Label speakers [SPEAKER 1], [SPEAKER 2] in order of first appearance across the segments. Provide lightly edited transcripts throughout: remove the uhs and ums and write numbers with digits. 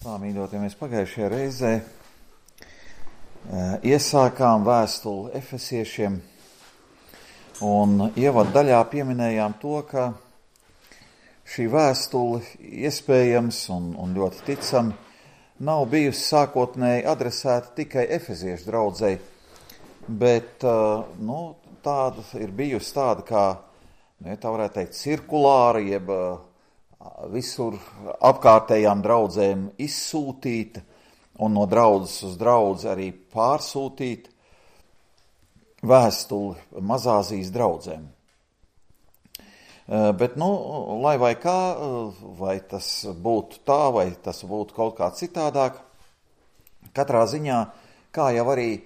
[SPEAKER 1] Tā, mīļotie, mēs pagājušajā reizē iesākām vēstuli Efesiešiem un ievadu daļā pieminējām to, ka šī vēstule iespējams un ļoti ticami nav bijusi sākotnēji adresēta tikai efeziešu draudzei, bet tāda ir bijusi tāda kā, tā varētu teikt, cirkulāra, jeb visur apkārtējām draudzēm izsūtīta un no draudzes uz draudzi arī pārsūtīta vēstuli Mazāzijas draudzēm. Bet, lai vai kā, vai tas būtu tā, vai tas būtu kaut kā citādāk, katrā ziņā, kā jau arī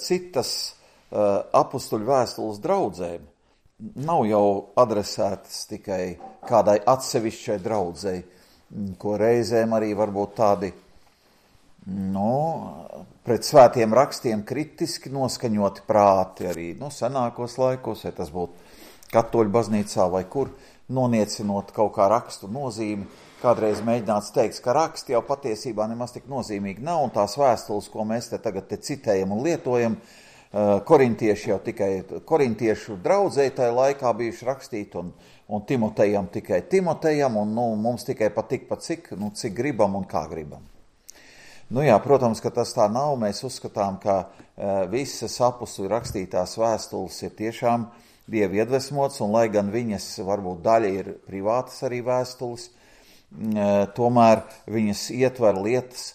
[SPEAKER 1] citas apustuļu vēstules draudzēm, nav jau adresētas tikai kādai atsevišķai draudzei, ko reizēm arī varbūt tādi, pret svētiem rakstiem kritiski noskaņoti prāti arī, senākos laikos, vai tas būtu katoļu baznīcā vai kur, noniecinot kaut kā rakstu nozīmi, kādreiz mēģināts teikt, ka raksti jau patiesībā nemaz tik nozīmīgi nav, un tās vēstules, ko mēs tagad citējam un lietojam, korintieši jau tikai korintiešu draudzei tajā laikā bijuši rakstīt, un Timotejam tikai Timotejam, un mums tikai patik cik gribam un kā gribam. Protams, ka tas tā nav, mēs uzskatām, ka visas apustuļu rakstītās vēstules ir tiešām Dieva iedvesmots, un lai gan viņas varbūt daļa ir privātas arī vēstules, tomēr viņas ietver lietas,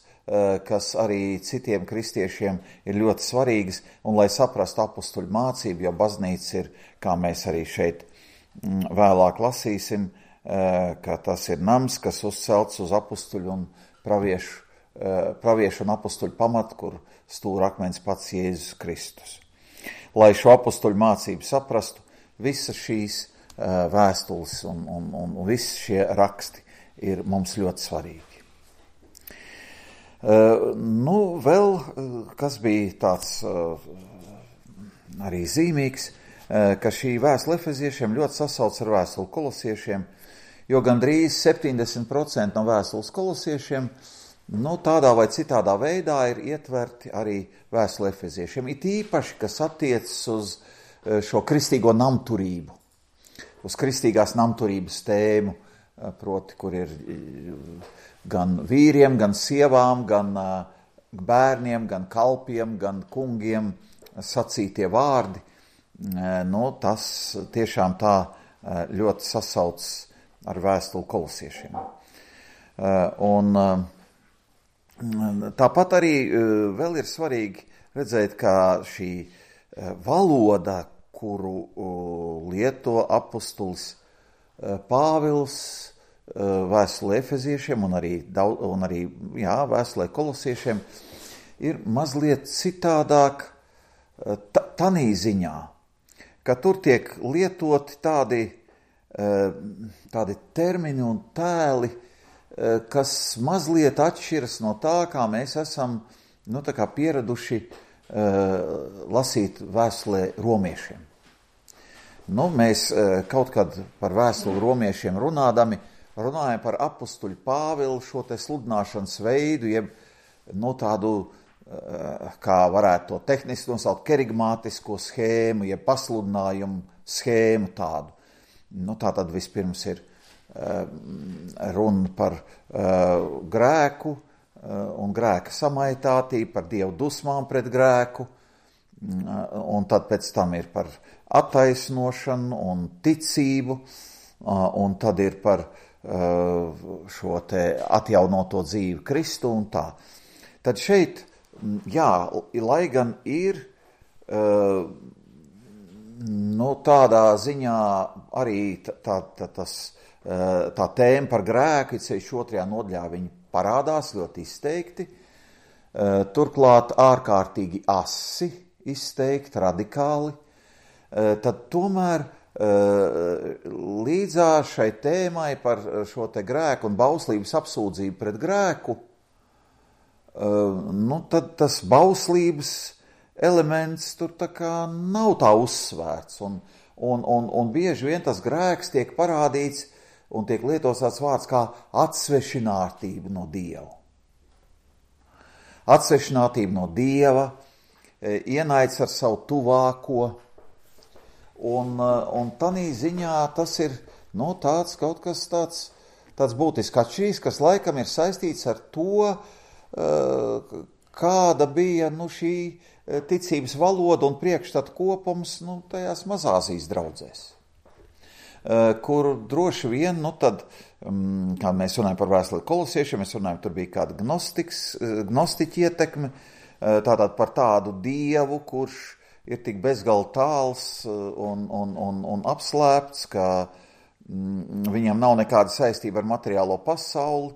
[SPEAKER 1] kas arī citiem kristiešiem ir ļoti svarīgas, un lai saprastu apustuļu mācību, jo baznīca ir, kā mēs arī šeit vēlāk lasīsim, ka tas ir nams, kas uzcelts uz apustuļu un praviešu un apustuļu pamatu, kur stūrakmens pats Jēzus Kristus. Lai šo apustuļu mācību saprastu, visas šīs vēstules un visi šie raksti ir mums ļoti svarīgi. Vēl, kas bija tāds arī zīmīgs, ka šī vēstule efeziešiem ļoti sasauc ar vēstuli kolosiešiem, jo gandrīz 70% no vēstules kolosiešiem tādā vai citādā veidā ir ietverti arī vēstule efeziešiem. It īpaši, kas attiecas uz šo kristīgo namturību, uz kristīgās namturības tēmu, proti, kur ir gan vīriem, gan sievām, gan bērniem, gan kalpiem, gan kungiem sacītie vārdi. Tas tiešām tā ļoti sasauc ar vēstuli kolosiešiem. Tāpat arī vēl ir svarīgi redzēt, ka šī valoda, kuru lieto apustulis Pāvils vēstulē efeziešiem un arī vēstulē kolosiešiem, ir mazliet citādāk tanī ziņā, ka tur tiek lietoti tādi termini un tēli, kas mazliet atšķiras no tā, kā mēs esam pieraduši lasīt vēstulē romiešiem. Mēs kaut kad par vēstuli romiešiem runājam par apustuļu Pāvilu šo te sludināšanas veidu, jeb tādu, kā varētu to tehniski nosaukt, kerigmātisko schēmu, jeb pasludinājumu schēmu tādu. Tātad vispirms ir runa par grēku un grēka samaitātību, par Dievu dusmām pret grēku, un tad pēc tam ir par attaisnošanu un ticību, un tad ir par šo te atjaunoto dzīvi Kristu un tā. Tad šeit, lai gan ir tādā ziņā arī tā tēma par grēku, ceļš otrajā nodaļā viņi parādās ļoti izteikti, turklāt ārkārtīgi asi izteikti, radikāli, tad tomēr līdzās šai tēmai par šo te grēku un bauslības apsūdzību pret grēku, tad tas bauslības elements tur tā kā nav tā uzsvērts, un bieži vien tas grēks tiek parādīts un tiek lietots tāds vārds kā atsvešinātība no Dieva. atsvešinātība no Dieva, ienaids ar savu tuvāko, un tanī ziņā tas ir, tāds kaut kas tāds būtisks atšķirīgs, kas laikam ir saistīts ar to, kāda bija, šī ticības valoda un priekšstatu kopums, tajās mazāzijas draudzēs, kur droši vien, tad, kā mēs runājam par vēstuli kolosiešiem, mēs runājam, tur bija kāda gnostiķa ietekme, tātad par tādu Dievu, kurš ir tik bezgalīgi tāls un apslēpts, ka viņam nav nekāda saistība ar materiālo pasauli,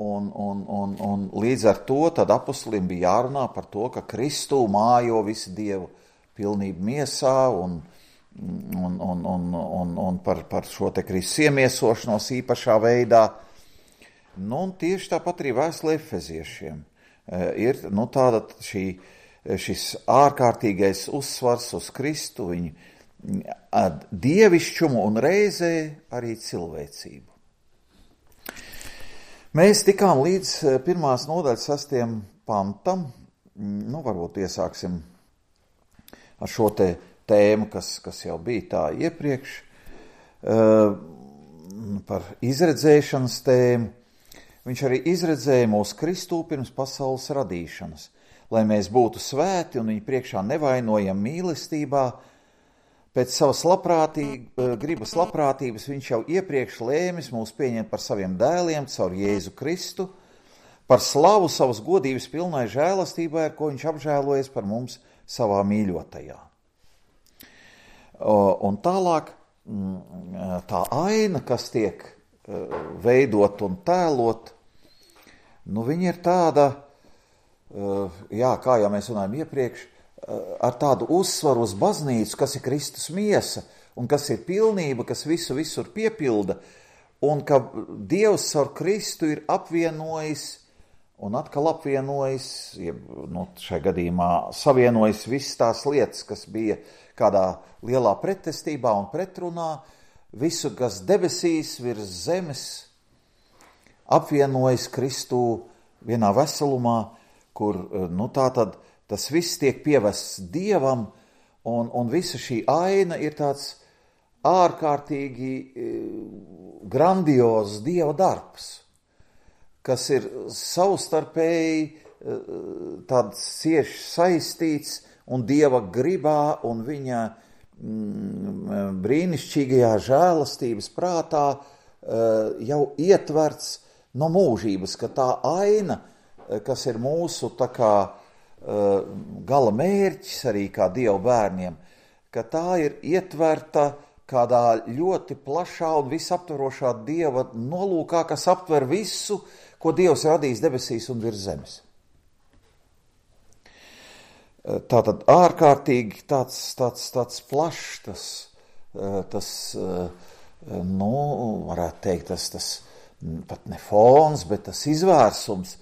[SPEAKER 1] un līdz ar to tad apostolim bija jārunā par to, ka Kristū mājo visu Dievu pilnību miesā un par šo te Kristus iemiesošanos īpašā veidā. Un tieši tāpat arī vēstule Efeziešiem ir tāda šis ārkārtīgais uzsvars uz Kristu, viņa dievišķumu un reizē arī cilvēcību. Mēs tikām līdz 1. nodaļas 6. pantam, varbūt iesāksim ar šo tēmu, kas jau bija tā iepriekš, par izredzēšanas tēmu. Viņš arī izredzēja mūsu Kristū pirms pasaules radīšanas, lai mēs būtu svēti un viņa priekšā nevainojam mīlestībā. Pēc savas gribas labprātības viņš jau iepriekš lēmis mūs pieņemt par saviem dēliem caur Jēzu Kristu, par slavu savas godības pilnai žēlastībai, ar ko viņš apžēlojas par mums savā mīļotajā. Un tālāk tā aina, kas tiek veidot un tēlot, viņa ir tāda, kā jau mēs runājam iepriekš, ar tādu uzsvaru uz baznīcu, kas ir Kristus miesa un kas ir pilnība, kas visu visur piepilda, un ka Dievs ar Kristu ir apvienojis un atkal apvienojis, šajā gadījumā savienojis visas tās lietas, kas bija kādā lielā pretestībā un pretrunā, visu, kas debesīs virs zemes, apvienojis Kristu vienā veselumā, kur, tātad tas viss tiek pievests Dievam, un visa šī aina ir tāds ārkārtīgi grandiozs Dieva darbs, kas ir savstarpēji tāds cieši saistīts un Dieva gribā un viņa brīnišķīgajā žēlastības prātā jau ietverts no mūžības, ka tā aina, kas ir mūsu tā kā gala mērķis arī kā Dieva bērniem, ka tā ir ietverta kādā ļoti plašā un visaptverošā Dieva nolūkā, kas aptver visu, ko Dievs radījis debesīs un virs zemes. Tātad ārkārtīgi tāds plašs, varētu teikt, tas pat ne fons, bet tas izvērsums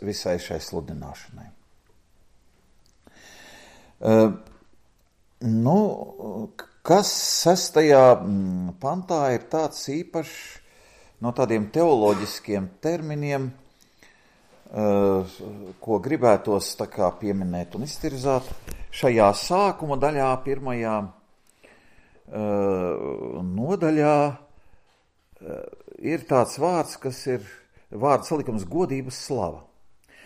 [SPEAKER 1] visai šai sludināšanai. Kas 6. pantā ir tāds īpašs no tādiem teoloģiskiem terminiem, ko gribētos tā kā pieminēt un iztirzāt. Šajā sākuma daļā, 1. nodaļā, ir tāds vārds, kas ir vārds salikums godības slava.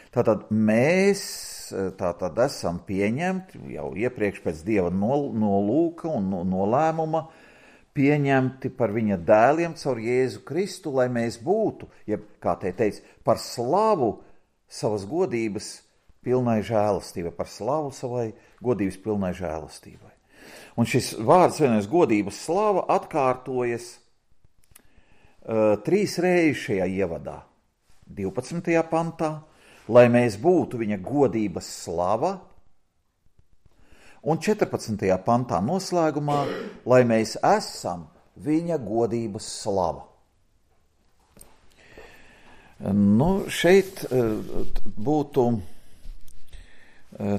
[SPEAKER 1] Tātad mēs esam pieņemti jau iepriekš pēc Dieva nolūka un nolēmuma, pieņemti par viņa dēliem caur Jēzu Kristu, lai mēs būtu, kā te teica, par slavu savas godības pilnai žēlastībai, par slavu savai godības pilnai žēlastībai. Un šis vārds vienais godības slava atkārtojas 3 reizes šajā ievadā. 12. pantā, lai mēs būtu viņa godības slava, un 14. pantā noslēgumā, lai mēs esam viņa godības slava. Šeit būtu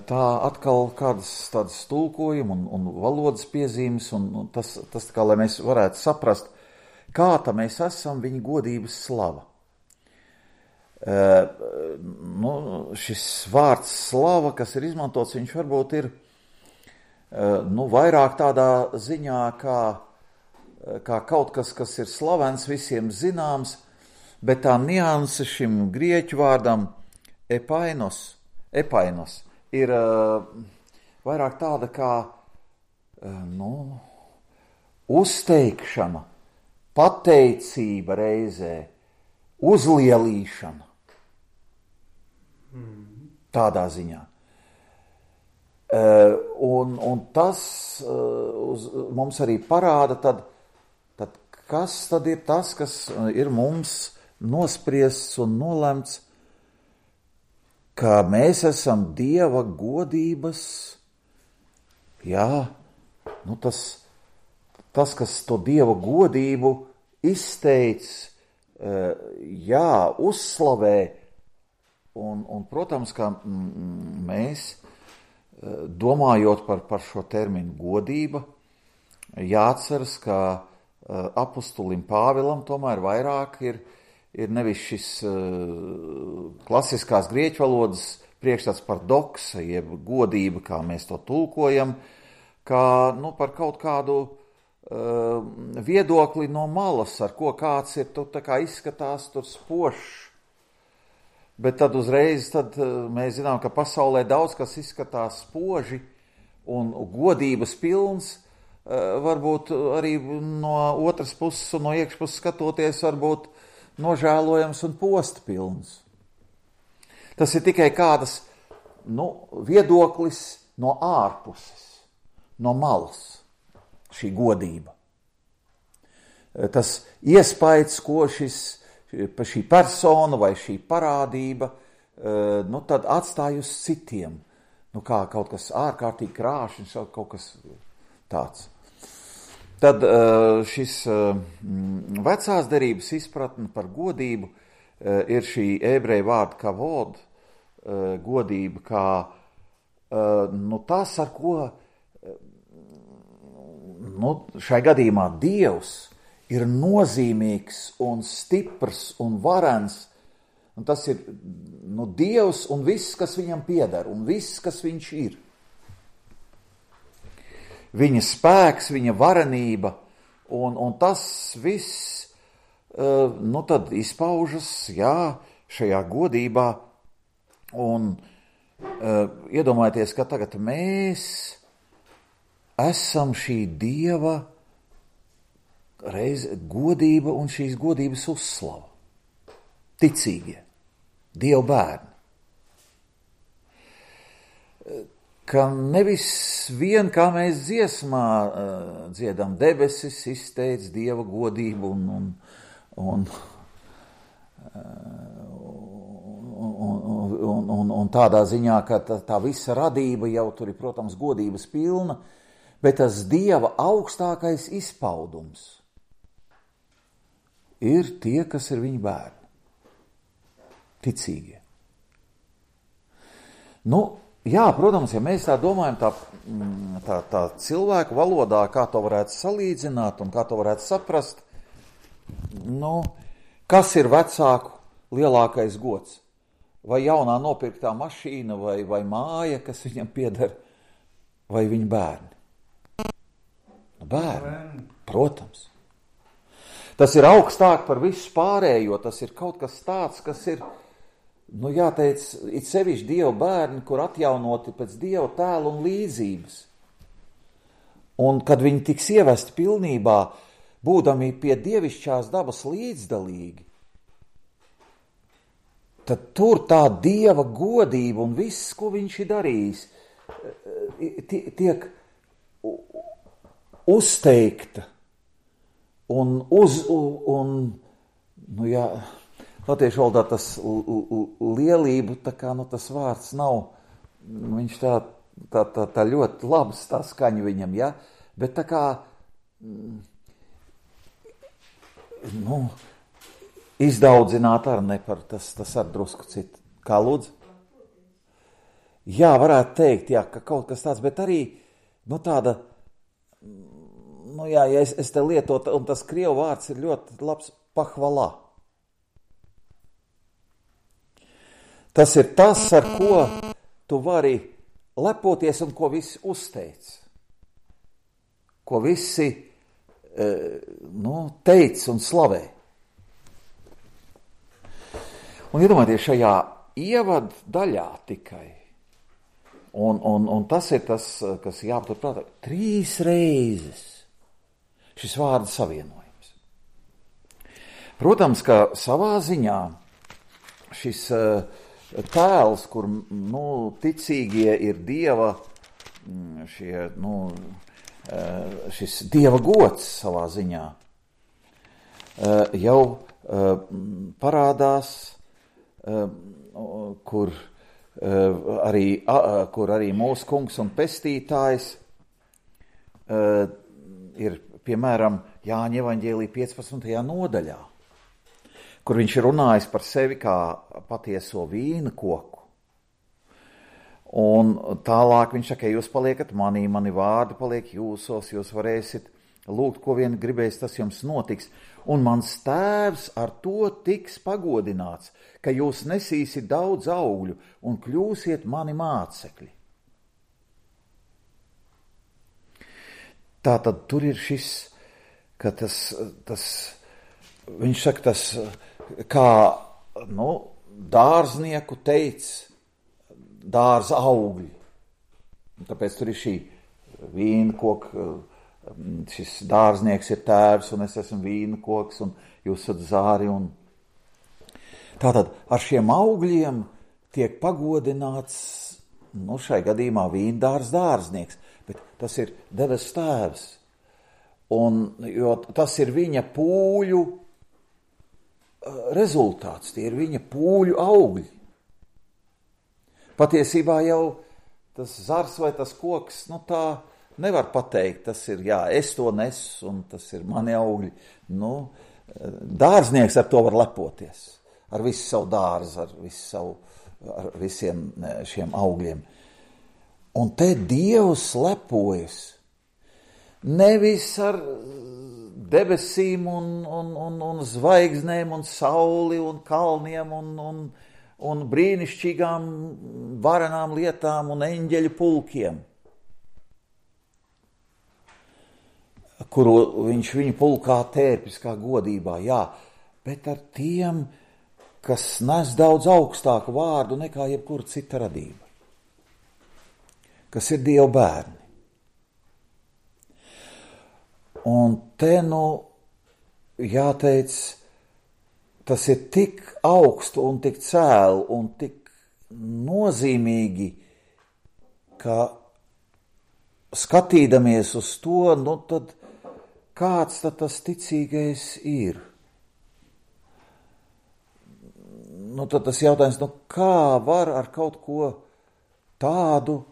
[SPEAKER 1] tā atkal kādas tādas tulkojuma un valodas piezīmes, un tas kā, lai mēs varētu saprast, kā tā mēs esam viņa godības slava. Šis vārds slava, kas ir izmantots, viņš varbūt ir vairāk tādā ziņā, kā kaut kas, kas ir slavens, visiem zināms, bet tā nianse šim grieķu vārdam epainos ir vairāk tāda kā uzteikšana, pateicība reizē, uzlielīšana. Tādā ziņā. Un tas mums arī parāda, tad kas tad ir tas, kas ir mums nospriests un nolemts, ka mēs esam Dieva godības, tas, kas to Dieva godību izteic, uzslavē, un protams, ka mēs, domājot par šo terminu godība, jāatceras, ka apustulim Pāvilam tomēr vairāk ir nevis šis klasiskās grieķu valodas priekšstats par doksa, jeb godība, kā mēs to tulkojam, kā par kaut kādu viedokli no malas, ar ko kāds ir, tā kā izskatās tur spožs. Bet tad uzreiz mēs zinām, ka pasaulē daudz kas izskatās spoži un godības pilns, varbūt arī no otras puses un no iekšpuses skatoties, varbūt nožēlojams un posta pilns. Tas ir tikai kādas viedoklis no ārpuses, no malas, šī godība. Tas iespējas, ko šī persona vai šī parādība tad atstāj uz citiem. Kā kaut kas ārkārtīgi krāšņs, kaut kas tāds. Tad šis vecās derības izpratne par godību ir šī ebreju vārda kavod, godība, kā tas, ar ko šai gadījumā Dievs ir nozīmīgs un stiprs un varens, un tas ir Dievs un viss, kas viņam pieder, un viss, kas viņš ir. Viņa spēks, viņa varenība, un tas viss, tad izpaužas, šajā godībā, un iedomājieties, ka tagad mēs esam šī Dieva godība un šīs godības uzslava. Ticīgie, Dieva bērni. Ka nevis vien, kā mēs dziesmā dziedam, debesis izteic Dieva godību un tādā ziņā, ka tā visa radība jau tur ir, protams, godības pilna, bet tas Dieva augstākais izpaudums ir tie, kas ir viņa bērni. Ticīgie. Protams, ja mēs tā domājam tā cilvēku valodā, kā to varētu salīdzināt un kā to varētu saprast, kas ir vecāku lielākais gods? Vai jaunā nopirktā mašīna vai māja, kas viņam pieder, vai viņa bērni? Bērni, protams. Tas ir augstāk par visu pārējo, tas ir kaut kas tāds, kas ir, jāteic, it sevišķi Dieva bērni, kur atjaunoti pēc Dieva tēla un līdzības. Un kad viņi tiks ievesti pilnībā, būdami pie dievišķās dabas līdzdalīgi, tad tur tā Dieva godība un viss, ko viņš ir darījis, tiek uzteikta un latviešu valodā tas lielību, tas vārds nav, viņš tā ļoti labs tā skaņa viņam, bet tā kā, izdaudzināt ar nepar, tas ar drusku citu. Kā lūdzu? Jā, varētu teikt, ka kaut kas tāds, bet arī, tāda, ja es te lietotu, un tas krievu vārds ir ļoti labs, pahvalā. Tas ir tas, ar ko tu vari lepoties un ko visi uzteic. Ko visi teic un slavē. Un iedomājieties šajā ievadu daļā tikai. Un tas ir tas, kas jāpatur prātā. 3 reizes šis vārdu savienojums. Protams, ka savā ziņā šis tēls, kur ticīgie ir Dieva, šis Dieva gods savā ziņā, jau parādās, kur arī mūsu kungs un pestītājs ir, piemēram, Jāņa evaņģēlija 15. nodaļā, kur viņš ir runājis par sevi kā patieso vīna koku. Un tālāk viņš saka, jūs paliekat manī, mani vārdi paliek jūsos, jūs varēsiet lūgt, ko vien gribēs, tas jums notiks. Un mans tēvs ar to tiks pagodināts, ka jūs nesīsiet daudz augļu un kļūsiet mani mācekļi. Tātad tur ir šis, ka viņš saka, tas kā dārznieku teica, dārza augļi. Un tāpēc tur ir šī vīna koka, šis dārznieks ir tēvs, un es esmu vīna koks, un jūs esat zāri. Tātad ar šiem augļiem tiek pagodināts, šai gadījumā vīndārs dārznieks, bet tas ir debesu tēvs. Jo tas ir viņa pūļu rezultāts, tie ir viņa pūļu augļi. Patiesībā jau tas zars vai tas koks, tā nevar pateikt, tas ir, es to nesu, un tas ir mani augļi. Dārznieks ar to var lepoties, ar visu savu dārzu, ar visiem šiem augļiem. Un te Dievs lepojas nevis ar debesīm un zvaigznēm un sauli un kalniem un brīnišķīgām varenām lietām un eņģeļu pulkiem, kuru viņš viņu pulkā tērpis kā godībā, bet ar tiem, kas nes daudz augstāku vārdu nekā jebkura cita radība, kas ir Dieva bērni. Un te, jāteic, tas ir tik augstu un tik cēlu un tik nozīmīgi, ka skatīdamies uz to, tad kāds tad tas ticīgais ir? Tad tas jautājums, kā var ar kaut ko tādu,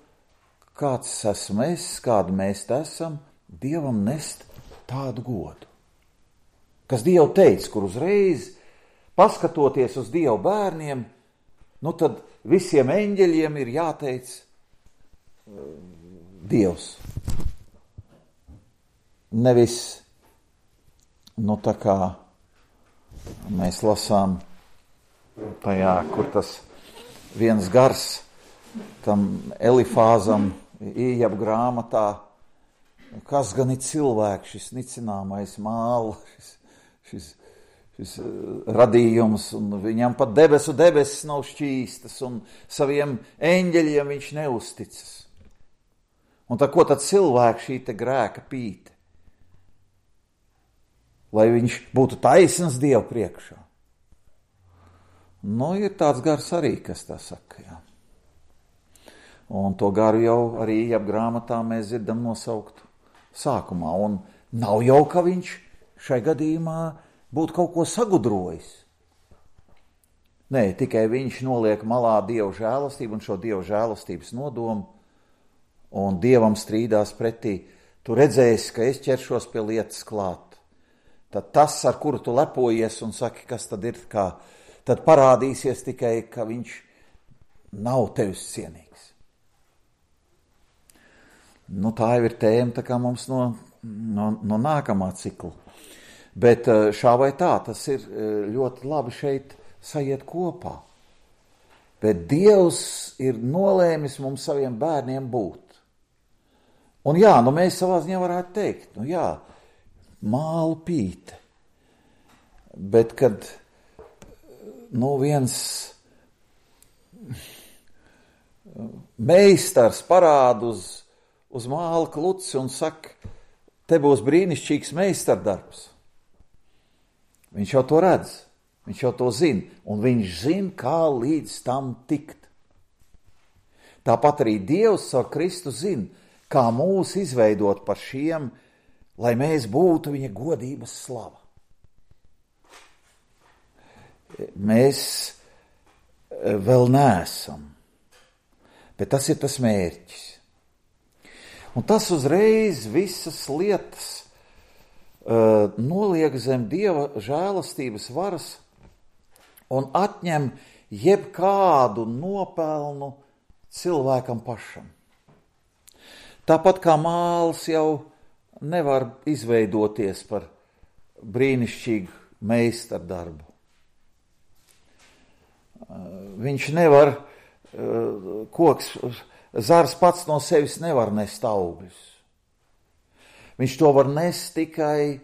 [SPEAKER 1] kāds esmu es, kādu mēs esam, Dievam nest tādu godu? Kas Dievu teica, kur uzreiz, paskatoties uz Dievu bērniem, tad visiem eņģeļiem ir jāteic Dievs. Nevis, tā kā mēs lasām tajā, kur tas viens gars tam Elifāzam Ījaba grāmatā, kas gan ir cilvēks, šis nicināmais māla, šis radījums, un viņam pat debesis nav šķīstas, un saviem eņģeļiem viņš neusticas. Un ko tad cilvēks šī te grēka pīte? Lai viņš būtu taisns Dievu priekšā. Ir tāds gars arī, kas tā saka, Un to garu jau arī Ījaba grāmatā mēs dzirdam nosaukt sākumā. Un nav jau, ka viņš šai gadījumā būtu kaut ko sagudrojis. Nē, tikai viņš noliek malā Dieva žēlastību un šo Dieva žēlastības nodomu, un Dievam strīdās pretī. Tu redzēsi, ka es ķeršos pie lietas klāt. Tad tas, ar kuru tu lepojies un saki, kas tad ir, tad parādīsies tikai, ka viņš nav tevis cienīgs. Tā jau ir tēma tā kā mums no nākamā cikla. Bet šā vai tā, tas ir ļoti labi šeit sajiet kopā. Bet Dievs ir nolēmis mums saviem bērniem būt. Un jā, mēs savā ziņā varētu teikt, māla pīte. Bet kad viens meistars parāda uz māla kluci un saka, te būs brīnišķīgs meistardarbs. Viņš jau to redz, viņš jau to zina, un viņš zina, kā līdz tam tikt. Tāpat arī Dievs ar Kristu zina, kā mūs izveidot par šiem, lai mēs būtu viņa godības slava. Mēs vēl neesam, bet tas ir tas mērķis. Un tas uzreiz visas lietas noliek zem Dieva žēlastības varas un atņem jebkādu nopelnu cilvēkam pašam. Tāpat kā māls jau nevar izveidoties par brīnišķīgu meistardarbu. Viņš nevar, zars pats no sevis nevar nest augļus. Viņš to var nest tikai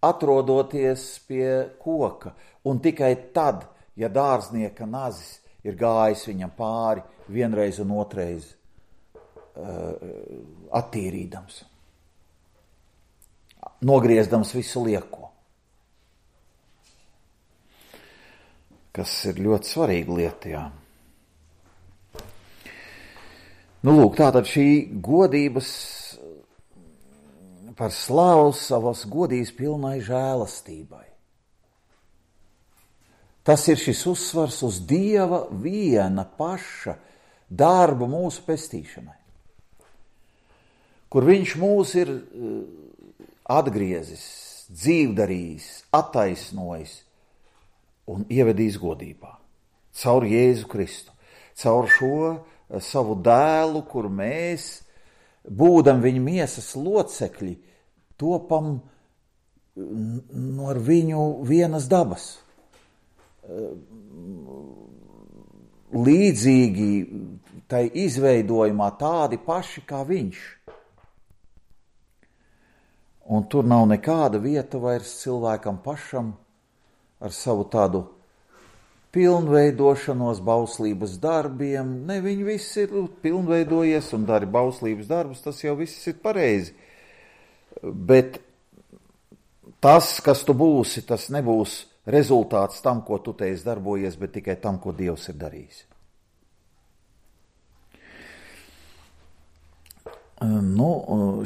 [SPEAKER 1] atrodoties pie koka, un tikai tad, ja dārznieka nazis ir gājis viņam pāri vienreiz un otrais attīrīdams, nogriezdams visu lieko. Kas ir ļoti svarīga lieta, jā. Tātad šī godības par slavu savas godības pilnai žēlastībai. Tas ir šis uzsvars uz Dieva viena paša darbu mūsu pestīšanai, kur viņš mūs ir atgriezis, dzīvdarījis, attaisnojis un ievedīs godībā. Caur Jēzu Kristu, caur šo savu dēlu, kur mēs, būdam viņa miesas locekļi, topam ar viņu vienas dabas. Līdzīgi tai izveidojumā tādi paši kā viņš. Un tur nav nekāda vieta vairs cilvēkam pašam ar savu tādu pilnveidošanos bauslības darbiem. Ne, viņi visi ir pilnveidojies un dara bauslības darbus, tas jau viss ir pareizi. Bet tas, kas tu būsi, tas nebūs rezultāts tam, ko tu te esi darbojies, bet tikai tam, ko Dievs ir darījis.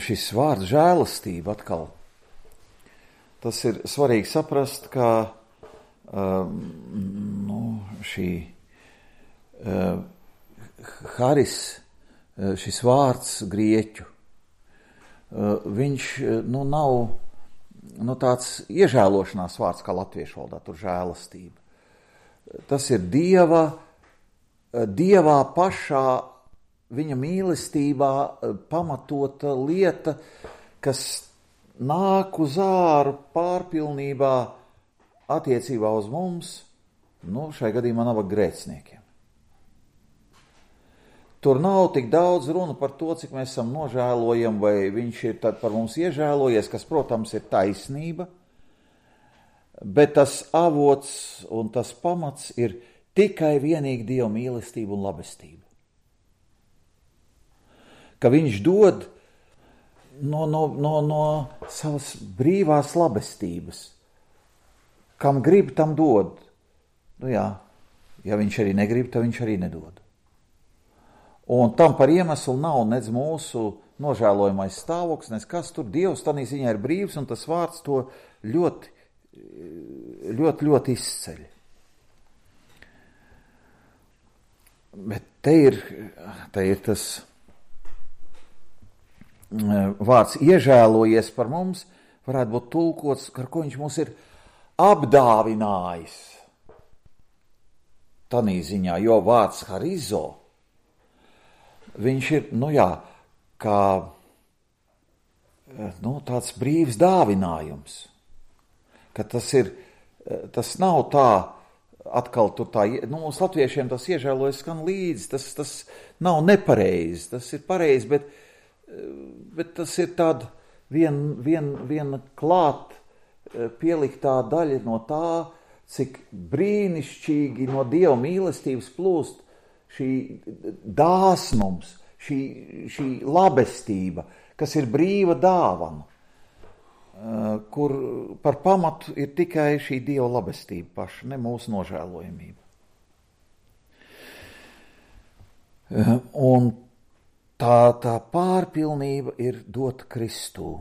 [SPEAKER 1] Šis vārds žēlastība atkal. Tas ir svarīgi saprast, ka šī haris, šis vārds grieķu, viņš nav tāds iežēlošanās vārds kā latviešu valodā, tur žēlastība. Tas ir Dievā pašā, viņa mīlestībā pamatota lieta, kas nāk uz āru pārpilnībā attiecībā uz mums, šai gadījumā nabaga grēciniekiem. Tur nav tik daudz runa par to, cik mēs esam nožēlojami, vai viņš ir tad par mums iežēlojies, kas, protams, ir taisnība, bet tas avots un tas pamats ir tikai vienīgi Dieva mīlestība un labestība. Ka viņš dod no savas brīvās labestības. Kam grib, tam dod. Ja viņš arī negrib, tad viņš arī nedod. Un tam par iemeslu nav nec mūsu nožēlojamais stāvoklis, nec kas tur. Dievs tanī ziņā ir brīvs, un tas vārds to ļoti, ļoti, ļoti izceļ. Bet te ir tas vārds iežēlojies par mums, varētu būt tulkots, ar ko viņš mūs ir apdāvinājis. Tanī ziņā, jo vārds harizo, viņš ir, kā tāds brīvs dāvinājums. Ka tas nav tā atkal tur tā, mums latviešiem tas iežēlojas skan līdzi, tas nav nepareizi, tas ir pareizi, bet tas ir tāda viena klāt pieliktā daļa no tā, cik brīnišķīgi no Dieva mīlestības plūst šī dāsnums, šī labestība, kas ir brīva dāvana, kur par pamatu ir tikai šī Dieva labestība paša, ne mūsu nožēlojamība. Un tā pārpilnība ir dot Kristū.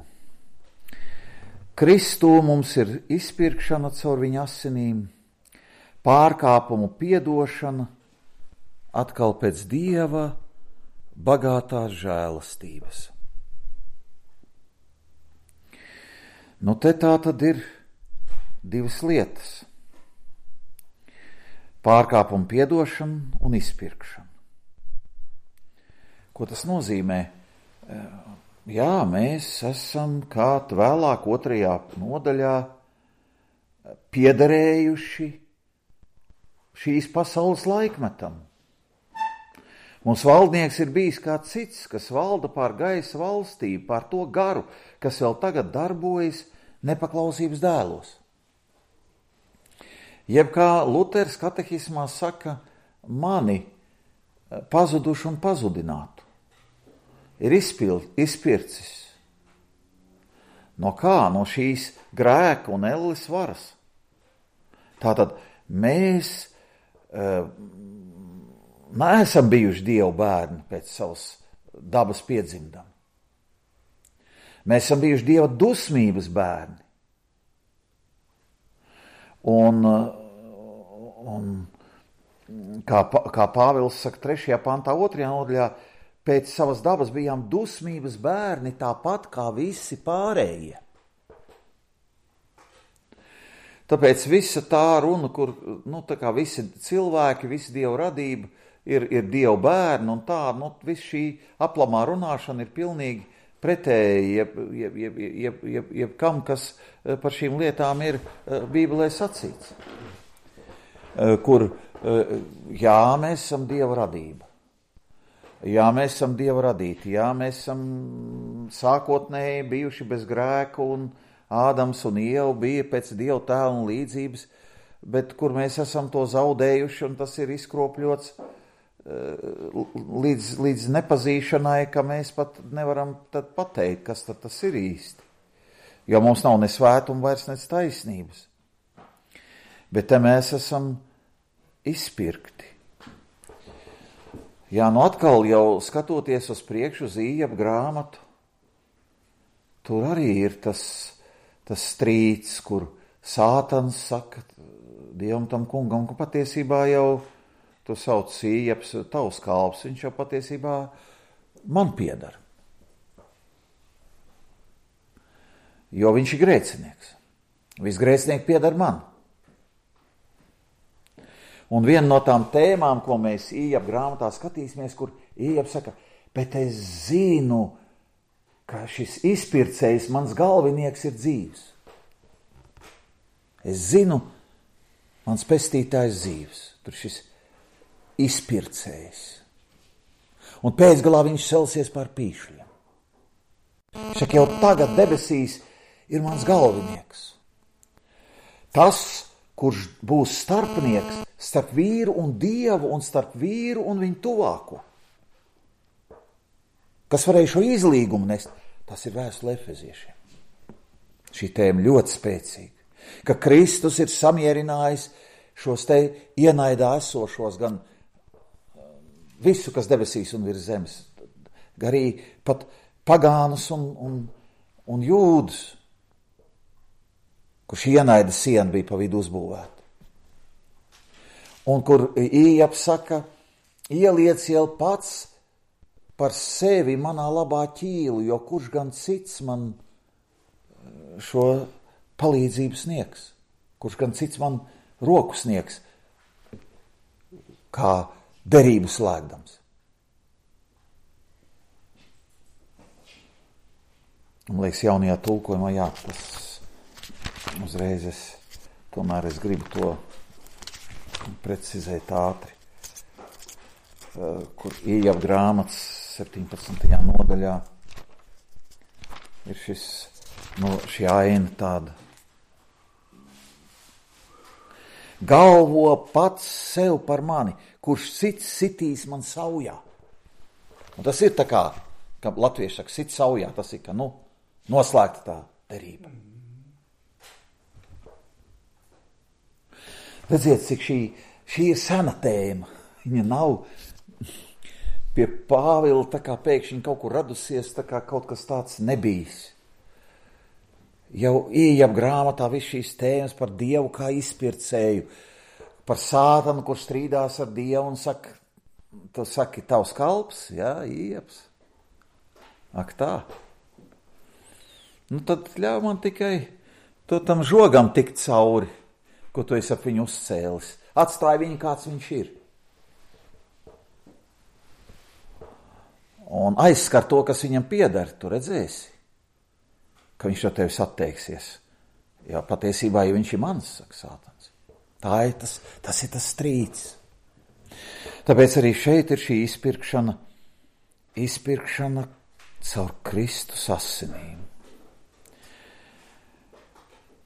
[SPEAKER 1] Kristū mums ir izpirkšana caur viņa asinīm, pārkāpumu piedošana, atkal pēc Dieva bagātās žēlastības. Nu, te tā tad ir divas lietas. Pārkāpumu piedošana un izpirkšana. Ko tas nozīmē? Jā, mēs esam, kā vēlāk 2. nodaļā, piederējuši šīs pasaules laikmetam. Mums valdnieks ir bijis kā cits, kas valda pār gaisa valstību, pār to garu, kas vēl tagad darbojas nepaklausības dēlos. Jeb kā Luters katehismā saka, mani pazuduši un pazudinātu ir izpircis. No kā? No šīs grēka un elles varas. Tātad mēs neesam bijuši Dieva bērni pēc savas dabas piedzimtam. Mēs esam bijuši Dieva dusmības bērni. Un kā Pāvils saka 3. pantā 2. nodaļā, pēc savas dabas bijām dusmības bērni tāpat kā visi pārējie. Tāpēc visa tā runa, kur tā kā visi cilvēki, visi Dieva radība ir Dieva bērni un tā, viss šī aplamā runāšana ir pilnīgi pretēji jebkam, kas par šīm lietām ir Bībelē sacīts. Kur, jā, mēs esam Dieva radība. Jā, mēs esam Dieva radīti. Jā, mēs esam sākotnēji bijuši bez grēku un Ādams un Ieva bija pēc Dieva tēla un līdzības, bet kur mēs esam to zaudējuši un tas ir izkropļots līdz nepazīšanai, ka mēs pat nevaram tad pateikt, kas tad tas ir īsti. Jo mums nav ne svētuma vairs, ne taisnības. Bet te mēs esam izpirkti. Jā, atkal jau skatoties uz priekšu uz Ījaba grāmatu, tur arī ir tas strīds, kur Sātans saka Dievam tam kungam, ka patiesībā jau tu sauc Ījabs tavs kalps, viņš jau patiesībā man piedara. Jo viņš ir grēcinieks. Viss grēcinieki piedara man. Un viena no tām tēmām, ko mēs Ījaba grāmatā skatīsimies, kur Ījabs saka, bet es zinu, ka šis izpircējs, mans galvinieks ir dzīvs. Es zinu, mans pestītājs dzīvs. Tur šis izpircējs. Un pēcgalā viņš celsies pār pīšļiem. Saka, jau tagad debesīs ir mans galvinieks. Tas, kurš būs starpnieks starp vīru un Dievu un starp vīru un viņu tuvāko. Kas varēja šo izlīgumu nest, tas ir vēstule Efeziešiem. Šī tēma ļoti spēcīga. Ka Kristus ir samierinājis šos te ienaidā esošos gan visu, kas debesīs un virs zemes, arī pat pagānus un jūdus, kur šī ienaida siena bija pa vidu uzbūvēta. Un kur Ījabs saka, ieliec jau pats par sevi manā labā ķīlu, jo kurš gan cits man šo palīdzību sniegs, kurš gan cits man roku sniegs, kā derību slēgdams. Man liekas, jaunajā tulkojumā, jā, tas uzreiz tomēr es gribu to precizēt ātri, kur Ījaba grāmatas 17. nodaļā ir šī aina tāda. Galvo pats sev par mani, kurš sitīs man saujā. Un tas ir tā kā latvieši saka, sit saujā, tas ir, ka, noslēgta tā derība. Redziet, cik šī ir sena tēma. Viņa nav pie Pāvila tā kā pēkšņi kaut kur radusies, tā kā kaut kas tāds nebijis. Jau Ījaba grāmatā viss šīs tēmas par Dievu kā izpircēju, par Sātanu, kurš strīdās ar Dievu un saka, tu saki, tavs kalps, jā, Ījabs. Ak tā. Tad ļauj man tikai to tam žogam tikt cauri, ko tu esi ap viņu uzcēlis. Atstāj viņu, kāds viņš ir. Un aizskar to, kas viņam pieder, tu redzēsi, ka viņš no tevis atteiksies. Jā, patiesībā, ja viņš ir mans, saka Sātans. Tas ir tas strīds. Tāpēc arī šeit ir šī izpirkšana caur Kristus asinīm.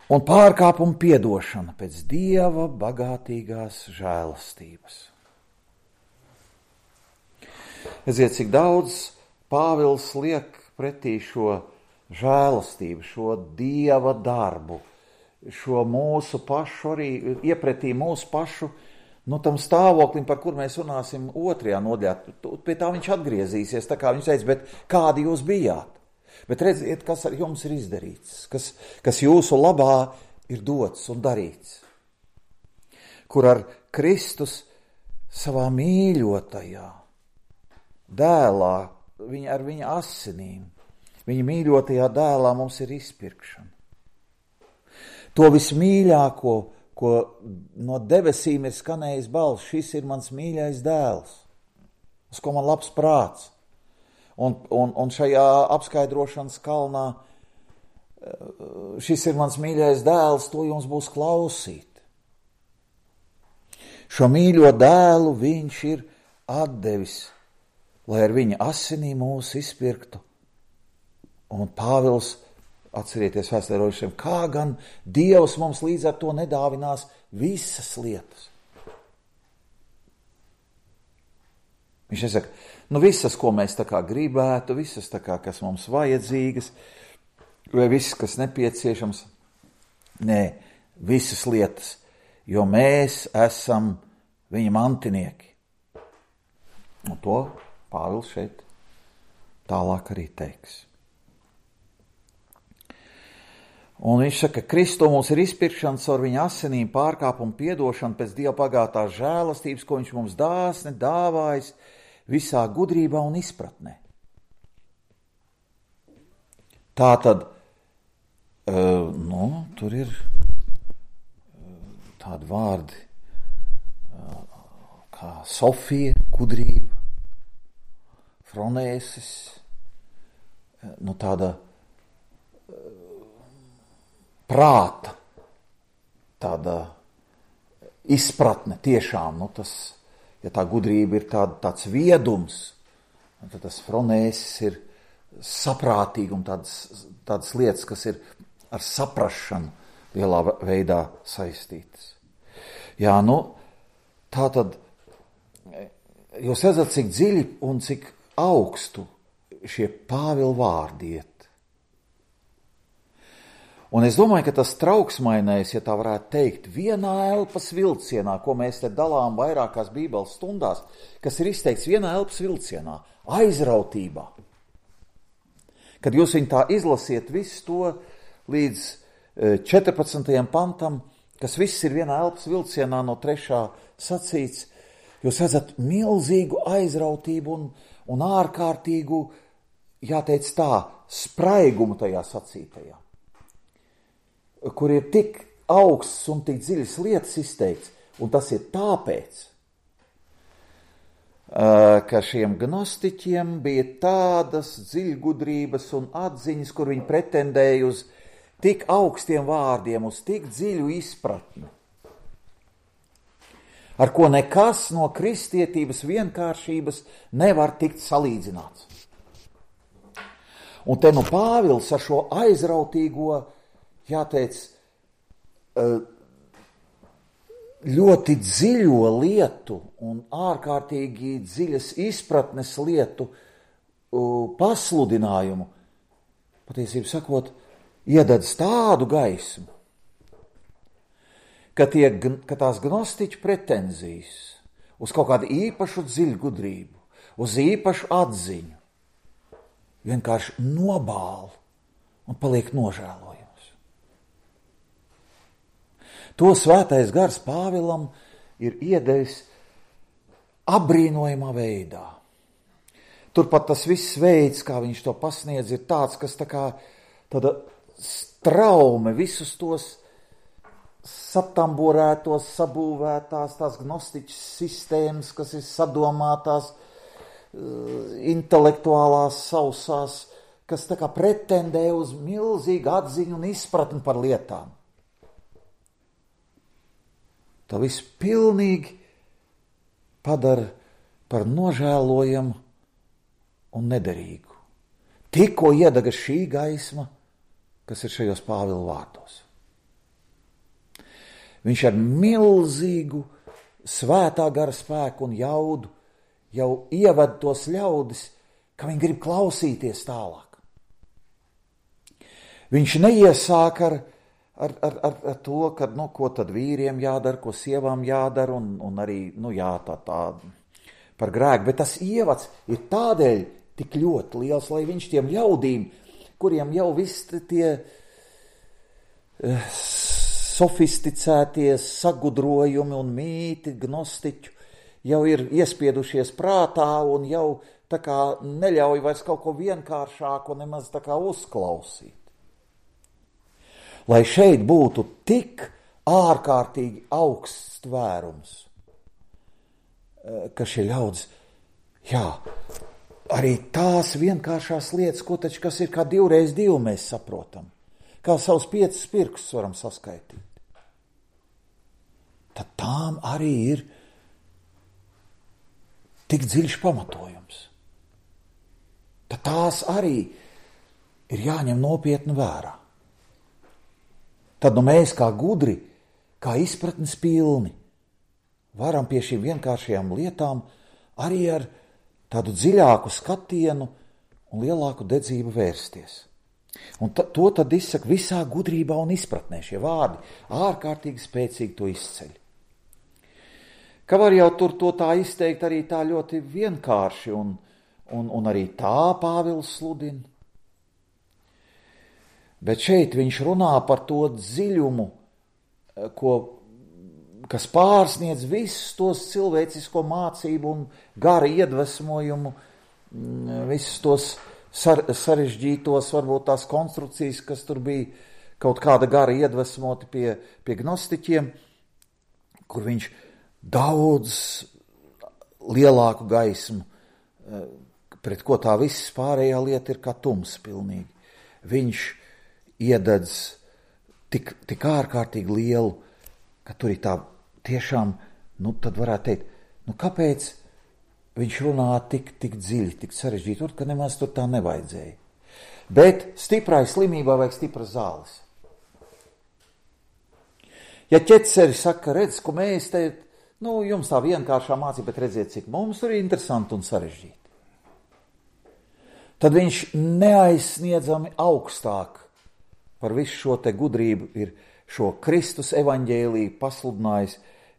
[SPEAKER 1] Un pārkāpuma piedošana pēc Dieva bagātīgās žēlastības. Redziet, cik daudz Pāvils liek pretī šo žēlastību, šo Dieva darbu, šo mūsu pašu arī, iepretī mūsu pašu, tam stāvoklim, par kur mēs runāsim 2. nodaļā. Pie tā viņš atgriezīsies, tā kā viņš teica, bet kādi jūs bijāt? Bet redziet, kas ar jums ir izdarīts, kas jūsu labā ir dots un darīts. Kur ar Kristus savā mīļotajā dēlā, ar viņa asinīm, viņa mīļotajā dēlā mums ir izpirkšana. To vismīļāko, ko no debesīm ir skanējis balss, šis ir mans mīļais dēls, uz ko man labs prāts. Un šajā apskaidrošanas kalnā šis ir mans mīļais dēls, to jums būs klausīt. Šo mīļo dēlu viņš ir atdevis, lai ar viņa asinī mūs izpirktu. Un Pāvils, atcerieties vēsturojušiem, kā gan Dievs mums līdz ar to nedāvinās visas lietas. Viņš nesaka, visas, ko mēs tā kā gribētu, visas tā kā, kas mums vajadzīgas, vai viss, kas nepieciešams. Nē, visas lietas, jo mēs esam viņa mantinieki. Un to Pāvils šeit tālāk arī teiks. Un viņš saka, ka Kristu mums ir izpirkšana caur viņa asinīm, pārkāpumu piedošana pēc Dieva bagātās žēlastības, ko viņš mums dāsni dāvājis visā gudrībā un izpratnē. Tātad, tur ir tādi vārdi kā Sofija, gudrība, fronēsis, tāda prāta, tāda izpratne tiešām, ja tā gudrība ir tāds viedums, tad tas fronēsis ir saprātīgums, tādas lietas, kas ir ar saprašanu lielā veidā saistītas. Jā, tā tad, jūs redzat, cik dziļi un cik augstu šie Pāvila vārdi iet. Un es domāju, ka tas trauksmainais, ja tā varētu teikt, vienā elpas vilcienā, ko mēs te dalām vairākās bībeles stundās, kas ir izteikts vienā elpas vilcienā, aizrautībā. Kad jūs viņu tā izlasiet visu to līdz 14. pantam, kas viss ir vienā elpas vilcienā no 3. sacīts, jūs redzat milzīgu aizrautību un ārkārtīgu, jāteic tā, spraigumu tajā sacītajā, kur ir tik augsts un tik dziļas lietas izteikts, un tas ir tāpēc, ka šiem gnostiķiem bija tādas dziļgudrības un atziņas, kur viņi pretendēja uz tik augstiem vārdiem, uz tik dziļu izpratni. ar ko nekas no kristietības vienkāršības nevar tikt salīdzināts. Un te nu Pāvils ar šo aizrautīgo, jāteic, ļoti dziļo lietu un ārkārtīgi dziļas izpratnes lietu pasludinājumu, patiesībā sakot, iededz tādu gaismu, ka tās gnostiķu pretenzijas uz kaut kādu īpašu dziļu gudrību, uz īpašu atziņu, vienkārši nobāl un paliek nožēlojams. To svētais gars Pāvilam ir iedevis apbrīnojamā veidā. Turpat tas viss veids, kā viņš to pasniedz, ir tāds, kas tā kā tāda straume visus tos satamborētos, sabūvētās, tās gnostiķas sistēmas, kas ir sadomātās, intelektuālās sausās, kas tā kā pretendē uz milzīgu atziņu un izpratni par lietām. Tā viss pilnīgi padara par nožēlojamu un nederīgu. Tikko iedega šī gaisma, kas ir šajos Pāvila vārdos. Viņš ar milzīgu svētā gara spēku un jaudu jau ieved tos ļaudis, ka viņi grib klausīties tālāk. Viņš neiesāk ar to, ka, ko tad vīriem jādara, ko sievām jādara, un arī, tā par grēku, bet tas ievads ir tādēļ tik ļoti liels, lai viņš tiem ļaudīm, kuriem jau viss tie sofisticētie sagudrojumi un mīti gnostiķu jau ir iespiedušies prātā un jau tā kā neļauj vairs kaut ko vienkāršāku nemaz tā kā uzklausīt. Lai šeit būtu tik ārkārtīgi augsts tvērums, ka šie ļaudis, arī tās vienkāršās lietas, kas ir kā 2x2 mēs saprotam, kā savus 5 pirkstus varam saskaitīt, tad tām arī ir tik dziļš pamatojums. Tad tās arī ir jāņem nopietni vērā. Tad mēs kā gudri, kā izpratnes pilni, varam pie šīm vienkāršajām lietām arī ar tādu dziļāku skatienu un lielāku dedzību vērsties. Un to tad izsaka visā gudrībā un izpratnē. Šie vārdi ārkārtīgi spēcīgi to izceļ. Ka var jau tur to tā izteikt arī tā ļoti vienkārši un arī tā Pāvils sludina. Bet šeit viņš runā par to dziļumu, kas pārsniedz visus tos cilvēcisko mācību un gara iedvesmojumu, visus tos sarežģītos, varbūt tās konstrukcijas, kas tur bija kaut kāda gara iedvesmoti pie gnostiķiem, kur viņš daudz lielāku gaismu, pret ko tā viss pārējā lieta ir kā tums pilnīgi. Viņš iededz tik ārkārtīgi lielu, ka tur ir tā tiešām, tad varētu teikt, kāpēc viņš runā tik dziļi, tik sarežģīti, ka nemaz tur tā nevajadzēja. Bet stiprai slimībā vajag stipras zāles. Ja ķeceri saka, redz, ko mēs te, jums tā vienkāršā mācība, bet redziet, cik mums tur ir interesanti un sarežģīti. Tad viņš neaizsniedzami augstāk par visu šo te gudrību ir šo Kristus evaņģēliju pasludinājis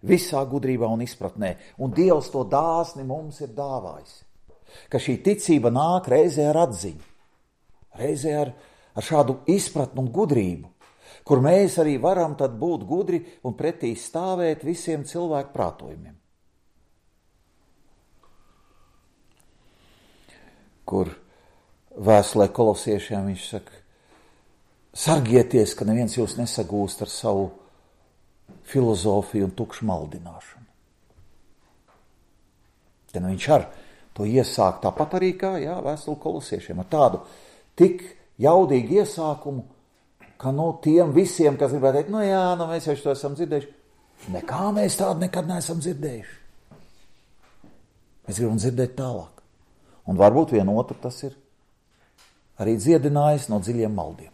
[SPEAKER 1] visā gudrībā un izpratnē. Un Dievs to dāsni mums ir dāvājis. Ka šī ticība nāk reizē ar atziņu, reizē ar šādu izpratnu un gudrību, kur mēs arī varam tad būt gudri un pretī stāvēt visiem cilvēku prātojumiem. Kur vēstulē kolosiešiem viņš saka, sargieties, ka neviens jūs nesagūst ar savu filozofiju un tukšu maldināšanu. Te viņš ar to iesāk tāpat arī kā vēstuli kolosiešiem, ar tādu tik jaudīgu iesākumu, ka tiem visiem, kas gribētu teikt, mēs jau to esam dzirdējuši, Nekā mēs tādu nekad neesam dzirdējuši. Mēs gribam dzirdēt tālāk. Un varbūt vienotru tas ir arī dziedinājis no dziļiem maldiem.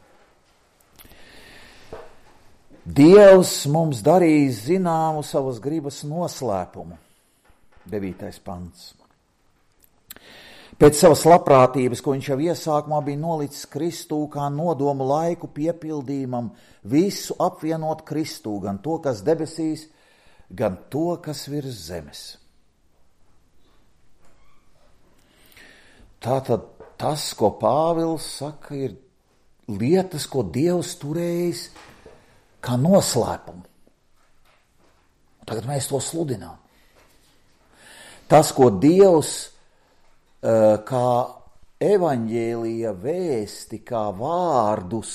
[SPEAKER 1] Dievs mums darīja zināmu savas gribas noslēpumu. 9. pants. Pēc savas labprātības, ko viņš jau iesākumā bija nolicis Kristū kā nodomu laiku piepildījumam, visu apvienot Kristū, gan to, kas debesīs, gan to, kas virs zemes. Tātad tas, ko Pāvils saka, ir lietas, ko Dievs turējis kā noslēpumu. Tagad mēs to sludinām. Tas, ko Dievs kā evaņģēlija vēsti, kā vārdus,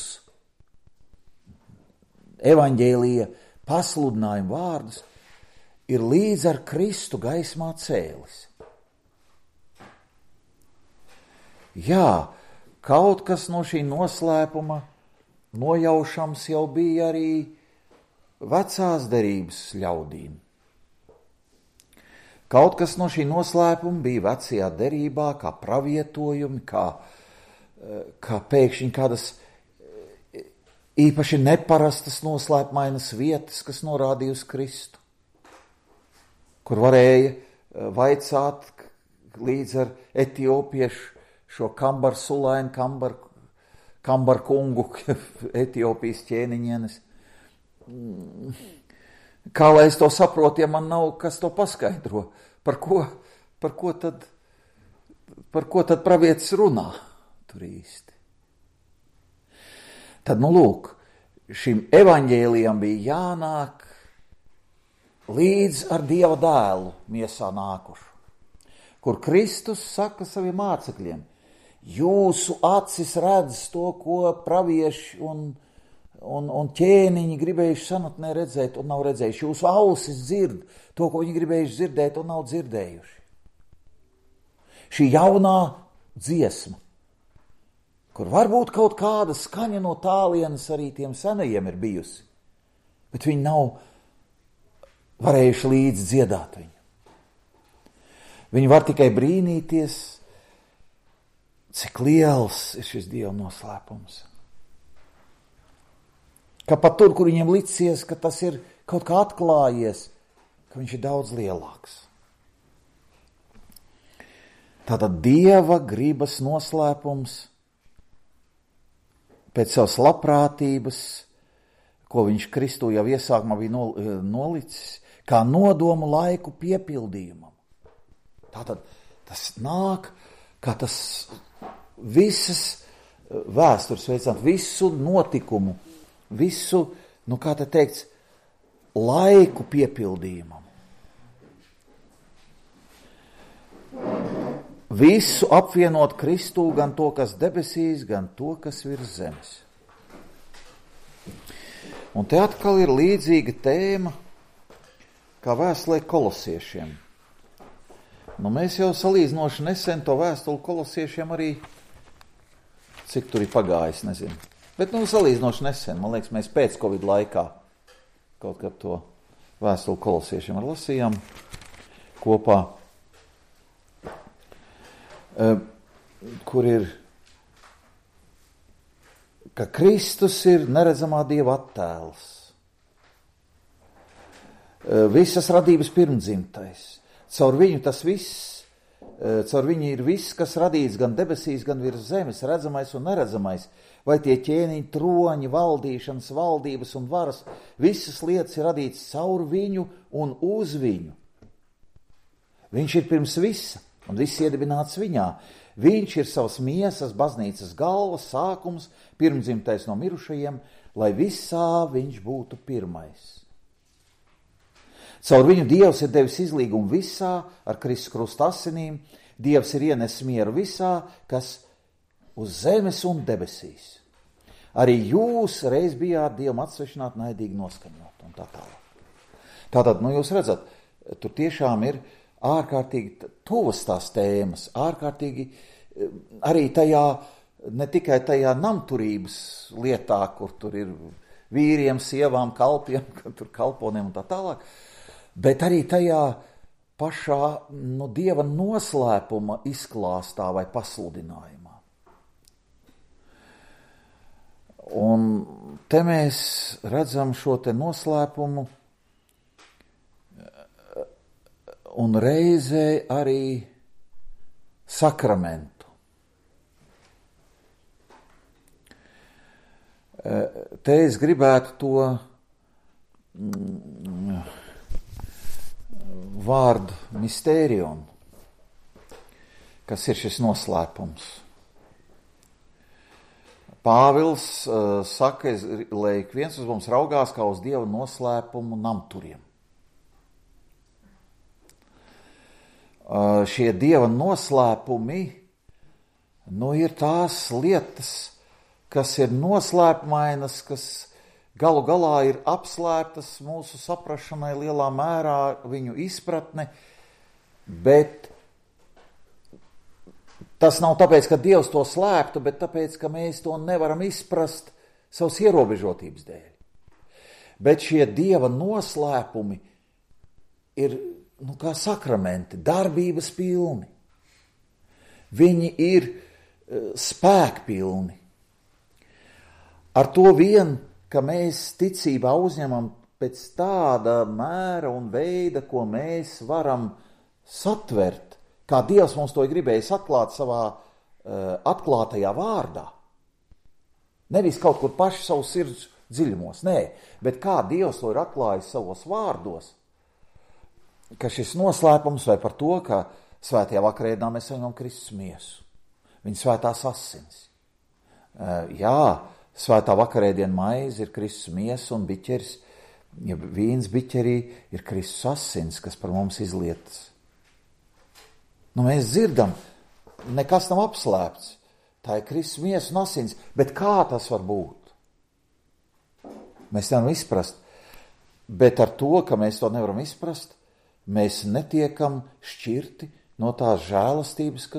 [SPEAKER 1] evaņģēlija pasludinājumu vārdus, ir līdz ar Kristu gaismā cēlis. Jā, kaut kas no šī noslēpuma nojaušams jau bija arī vecās derības ļaudīm. Kaut kas no šī noslēpuma bija vecajā derībā, kā pravietojumi, kā pēkšņi kādas īpaši neparastas noslēpmainas vietas, kas norādīja uz Kristu, kur varēja vaicāt līdz ar etiopiešu šo Kambar Sulainu, Kambar kungu, Etiopijas ķēniņienes. Kā lai es to saprotu, ja man nav kas to paskaidro? Par ko tad pravietis runā tur īsti? Tad, lūk, šim evaņģēlijam bija jānāk līdz ar Dieva dēlu miesā nākušu, kur Kristus saka saviem mācekļiem: jūsu acis redz to, ko pravieši un ķēniņi gribējuši senatnē redzēt un nav redzējuši. Jūsu ausis dzird to, ko viņi gribējuši dzirdēt un nav dzirdējuši. Šī jaunā dziesma, kur varbūt kaut kāda skaņa no tālienes arī tiem senajiem ir bijusi, bet viņi nav varējuši līdz dziedāt viņu. Viņi var tikai brīnīties, cik liels ir šis Dieva noslēpums. Ka pat tur, kur viņiem licies, ka tas ir kaut kā atklājies, ka viņš ir daudz lielāks. Tātad Dieva gribas noslēpums pēc savas labprātības, ko viņš Kristū jau iesākumā bija nolicis, kā nodomu laiku piepildījumam. Tātad tas nāk, kā tas visas vēstures veicināt, visu notikumu, visu, kā te teikts, laiku piepildījumam. Visu apvienot Kristū, gan to, kas debesīs, gan to, kas virs zemes. Un te atkal ir līdzīga tēma, kā vēstulē kolosiešiem. Mēs jau salīdzinoši nesen to vēstuli kolosiešiem arī, cik tur ir pagājis, nezinu. Bet salīdzinoši nesen, man liekas, mēs pēc Covid laikā kaut kad to vēstuli kolosiešiem ar lasījām kopā, kur ir, ka Kristus ir neredzamā Dieva attēls, visas radības pirmdzimtais. Caur viņu tas viss, caur viņu ir viss, kas radīts gan debesīs, gan virs zemes, redzamais un neredzamais, vai tie ķēniņi, troņi, valdīšanas, valdības un varas, visas lietas ir radītas caur viņu un uz viņu. Viņš ir pirms visa, un viss iedibināts viņā. Viņš ir savas miesas, baznīcas galva, sākums, pirmdzimtais no mirušajiem, lai visā viņš būtu pirmais. Caur viņu Dievs ir devis izlīgumu visā, ar Kristus krusta asinīm. Dievs ir ienesis mieru visā, kas uz zemes un debesīs. Arī jūs reiz bijāt Dievam atsvešināti, naidīgi noskaņot un tā tālāk. Tātad, jūs redzat, tur tiešām ir ārkārtīgi tuvas tās tēmas, ārkārtīgi arī tajā, ne tikai tajā namturības lietā, kur tur ir vīriem, sievām, kalpiem, tur kalponiem un tā tālāk, bet arī tajā pašā Dieva noslēpuma izklāstā vai pasludinājumā. Un te mēs redzam šo te noslēpumu un reizē arī sakramentu. Te es gribētu to vārdu mistērion, kas ir šis noslēpums. Pāvils saka, lai ik viens uz mums raugās kā uz Dieva noslēpumu namturiem. Šie Dieva noslēpumi, ir tās lietas, kas ir noslēpmainas, kas galu galā ir apslēptas mūsu saprašanai lielā mērā, viņu izpratne, bet tas nav tāpēc, ka Dievs to slēptu, bet tāpēc, ka mēs to nevaram izprast savas ierobežotības dēļ. Bet šie Dieva noslēpumi ir, kā sakramenti, darbības pilni. Viņi ir spēkpilni. Ar to vien, ka mēs ticībā uzņemam pēc tāda mēra un veida, ko mēs varam satvert, kā Dievs mums to ir gribējis atklāt savā atklātajā vārdā. Nevis kaut kur paši savu sirds dziļumos, nē, bet kā Dievs to ir atklājis savos vārdos, ka šis noslēpums vai par to, ka svētajā vakarēdienā mēs saņemam Kristus miesu, viņa svētās asins. Svētā vakarēdiena maize ir Kristus miesa un biķeris, vīns biķerī ir Kristus asins, kas par mums izlietas. Mēs dzirdam, nekas nav apslēpts, tā ir Kristus miesa un asins, bet kā tas var būt? Mēs nevaram izprast, bet ar to, ka mēs to nevaram izprast, mēs netiekam šķirti no tās žēlastības,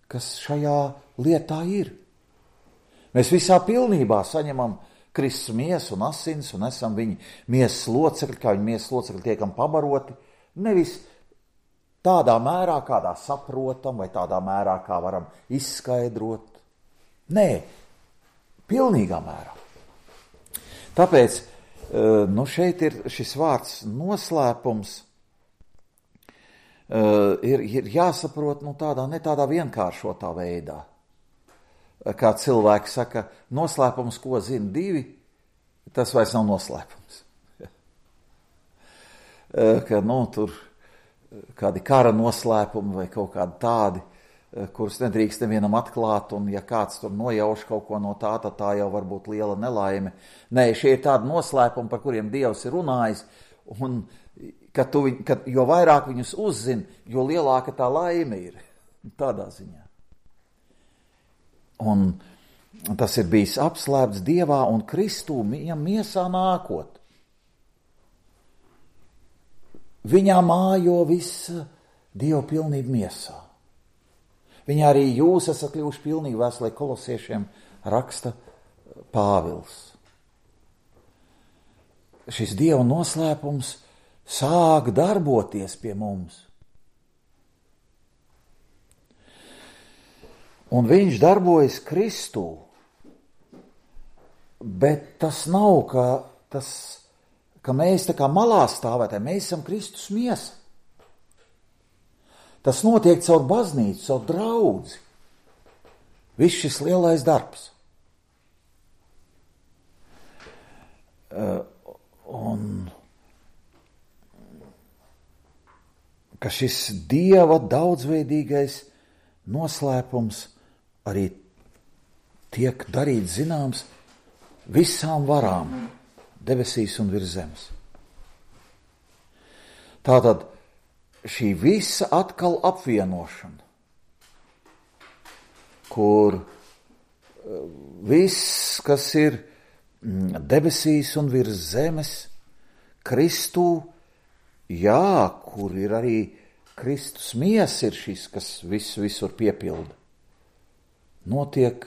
[SPEAKER 1] kas šajā lietā ir. Mēs visā pilnībā saņemam Kristus miesu un asins un esam viņa miesas locekļi, kā viņa miesas locekļi tiekam pabaroti, nevis tādā mērā, kādā saprotam vai tādā mērā, kā varam izskaidrot. Nē, pilnīgā mērā. Tāpēc, šeit ir šis vārds noslēpums, ir jāsaprot ne tādā vienkāršotā veidā. Kā cilvēki saka, noslēpums, ko zina divi, tas vairs nav noslēpums. Ka, tur kādi kara noslēpumi vai kaut kādi tādi, kurus nedrīkst nevienam atklāt, un ja kāds tur nojauš kaut ko no tā, tad tā jau var būt liela nelaime. Nē, šie ir tādi noslēpumi, par kuriem Dievs ir runājis, un jo vairāk viņus uzzina, jo lielāka tā laime ir. Tādā ziņā. Un tas ir bijis apslēpts Dievā un Kristū viņam miesā nākot. Viņā mājo visa Dieva pilnība miesā. Viņā arī jūs esat kļuvuši pilnīgi, vēstulē Kolosiešiem raksta Pāvils. Šis Dieva noslēpums sāk darboties pie mums. Un viņš darbojas Kristū, bet tas nav, ka mēs tā kā malā stāvētāji, mēs esam Kristus miesa. Tas notiek caur baznīcu, caur draudzi. Viss šis lielais darbs. Un ka šis Dieva daudzveidīgais noslēpums arī tiek darīts zināms visām varām debesīs un virs zemes. Tātad šī visa atkal apvienošana, kur viss, kas ir debesīs un virs zemes, Kristū, kur ir arī Kristus miesa ir šis, kas visur piepilda. Notiek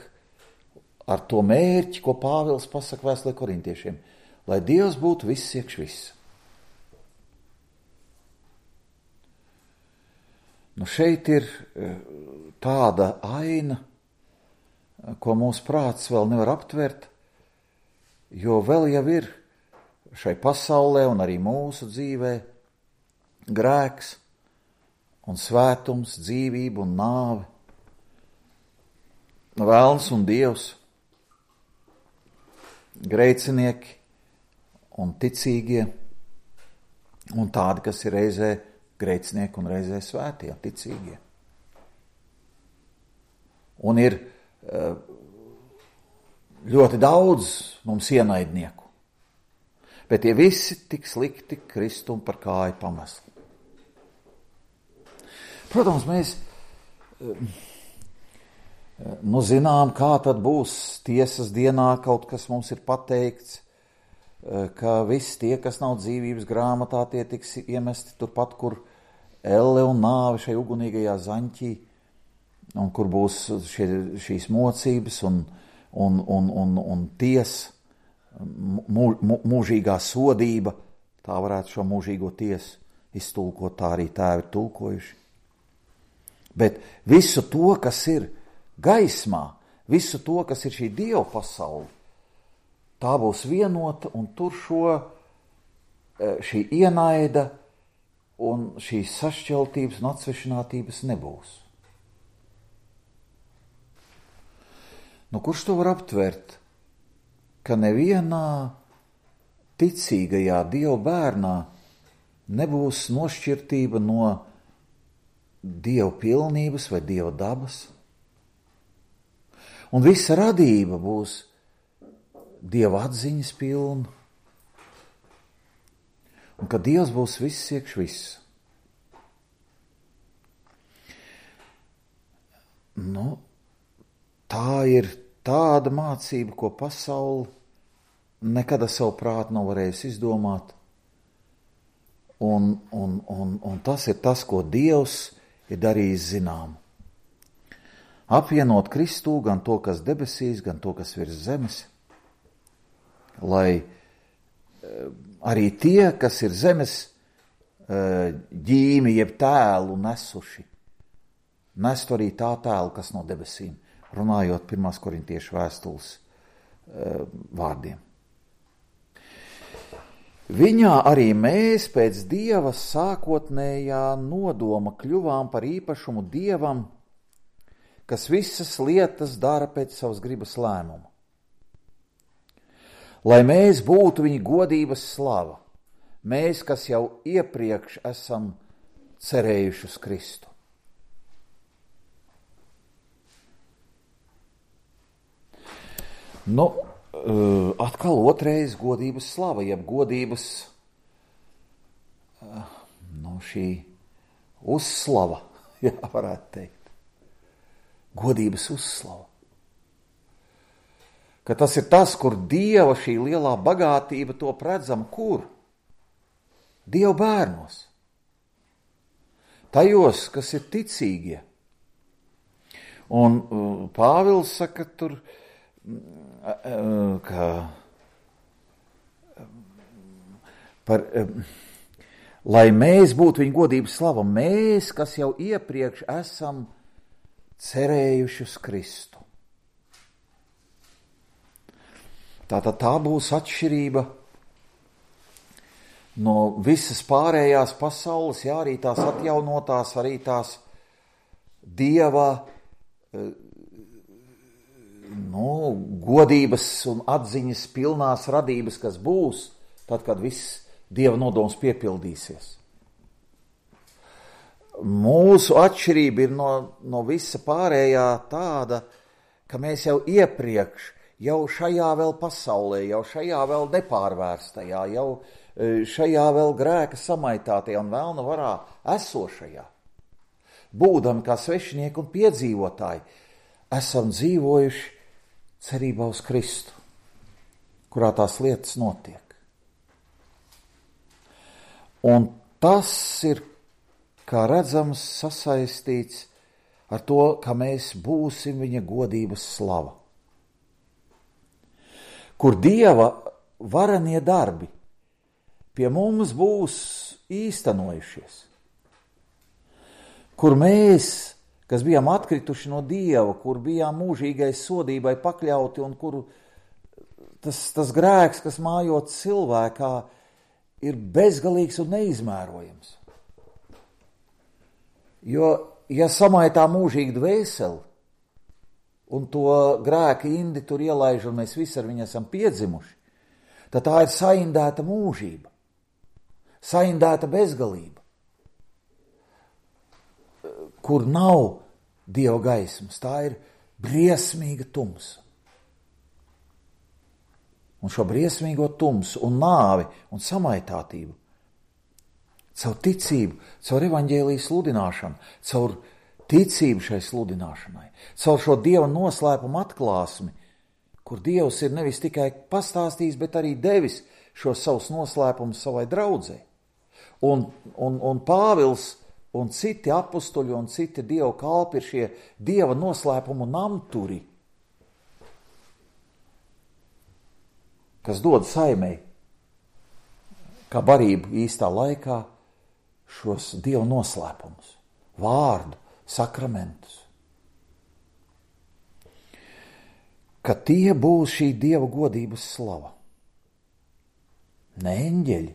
[SPEAKER 1] ar to mērķi, ko Pāvils pasaka vēstulē korintiešiem, lai Dievs būtu viss iekš viss. Nu šeit ir tāda aina, ko mūsu prāts vēl nevar aptvert, jo vēl jau ir šai pasaulē un arī mūsu dzīvē grēks un svētums, dzīvība un nāve, vēlns un dievs, grēcinieki un ticīgie, un tādi, kas ir reizē grēcinieki un reizē svētie, ticīgie. Un ir ļoti daudz mums ienaidnieku, bet tie visi tik slikti Kristum par kāju pamesli. Protams, mēs zinām, kā tad būs tiesas dienā, kaut kas mums ir pateikts, ka visi tie, kas nav dzīvības grāmatā, tie tiks iemesti turpat, kur elle un nāve šai ugunīgajā zaņķī, un kur būs šīs mocības un tiesa, mūžīgā sodība, tā varētu šo mūžīgo tiesu iztulkot, tā arī tēvi ir tulkojuši. Bet visu to, kas ir gaismā, visu to, kas ir šī Dieva pasaule, tā būs vienota, un tur šī ienaida un šīs sašķeltības un atsvešinātības nebūs. Nu, kurš to var aptvert, ka nevienā ticīgajā Dieva bērnā nebūs nošķirtība no Dieva pilnības vai Dieva dabas, un visa radība būs Dieva atziņas pilna, un ka Dievs būs viss iekš viss. Nu, tā ir tāda mācība, ko pasaule nekad ar savu prātu nav varējusi izdomāt, un tas ir tas, ko Dievs ir darījis zinām. Apvienot Kristū gan to, kas debesīs, gan to, kas virs zemes, lai arī tie, kas ir zemes ģīmi, jeb tēlu nesuši, nestu arī tā tēlu, kas no debesīm, runājot 1. korintiešu vēstules vārdiem. Viņā arī mēs pēc Dieva sākotnējā nodoma kļuvām par īpašumu Dievam, kas visas lietas dara pēc savas gribas lēmuma. Lai mēs būtu viņa godības slava, mēs, kas jau iepriekš esam cerējuši uz Kristu. Nu, atkal otrais godības slava, jeb godības, šī uzslava, jā, varētu teikt. Godības uzslava. Ka tas ir tas, kur Dieva šī lielā bagātība top redzam, kur? Dieva bērnos. Tajos, kas ir ticīgie. Un Pāvils saka tur, lai mēs būtu viņa godības slava, mēs, kas jau iepriekš esam cerējuši uz Kristu. Tātad tā būs atšķirība no visas pārējās pasaules, jā, arī tās atjaunotās, arī tās Dieva godības un atziņas pilnās radības, kas būs, tad, kad viss Dieva nodoms piepildīsies. Mūsu atšķirība ir no visa pārējā tāda, ka mēs jau iepriekš, jau šajā vēl pasaulē, jau šajā vēl nepārvērstajā, jau šajā vēl grēka samaitātajā un vēlna varā esošajā, būdami kā svešinieki un piedzīvotāji, esam dzīvojuši cerībā uz Kristu, kurā tās lietas notiek. Un tas ir, kā redzams, sasaistīts ar to, ka mēs būsim viņa godības slava. kur Dieva varenie darbi pie mums būs īstenojušies, kur mēs, kas bijām atkrituši no Dieva, kur bijām mūžīgai sodībai pakļauti un kuru tas grēks, kas mājot cilvēkā, ir bezgalīgs un neizmērojams. Jo, ja samaitā mūžīgi dvēseli un to grēka indi tur ielaiž un mēs visi ar viņu esam piedzimuši, tad tā ir saindēta mūžība, saindēta bezgalība, kur nav Dieva gaismas, tā ir briesmīga tumsa. Un šo briesmīgo tumsu un nāvi un samaitātību caur ticību, caur evaņģēlijas sludināšanu, caur ticību šai sludināšanai, caur šo Dieva noslēpumu atklāsmi, kur Dievs ir nevis tikai pastāstījis, bet arī devis šos savus noslēpumus savai draudzei. Un Pāvils un citi apustuļi un citi Dieva kalpi ir šie Dieva noslēpumu namturi, kas dod saimei, kā barību īstā laikā, šos Dieva noslēpumus, vārdu, sakramentus. Ka tie būs šī Dieva godības slava. Ne eņģeļi,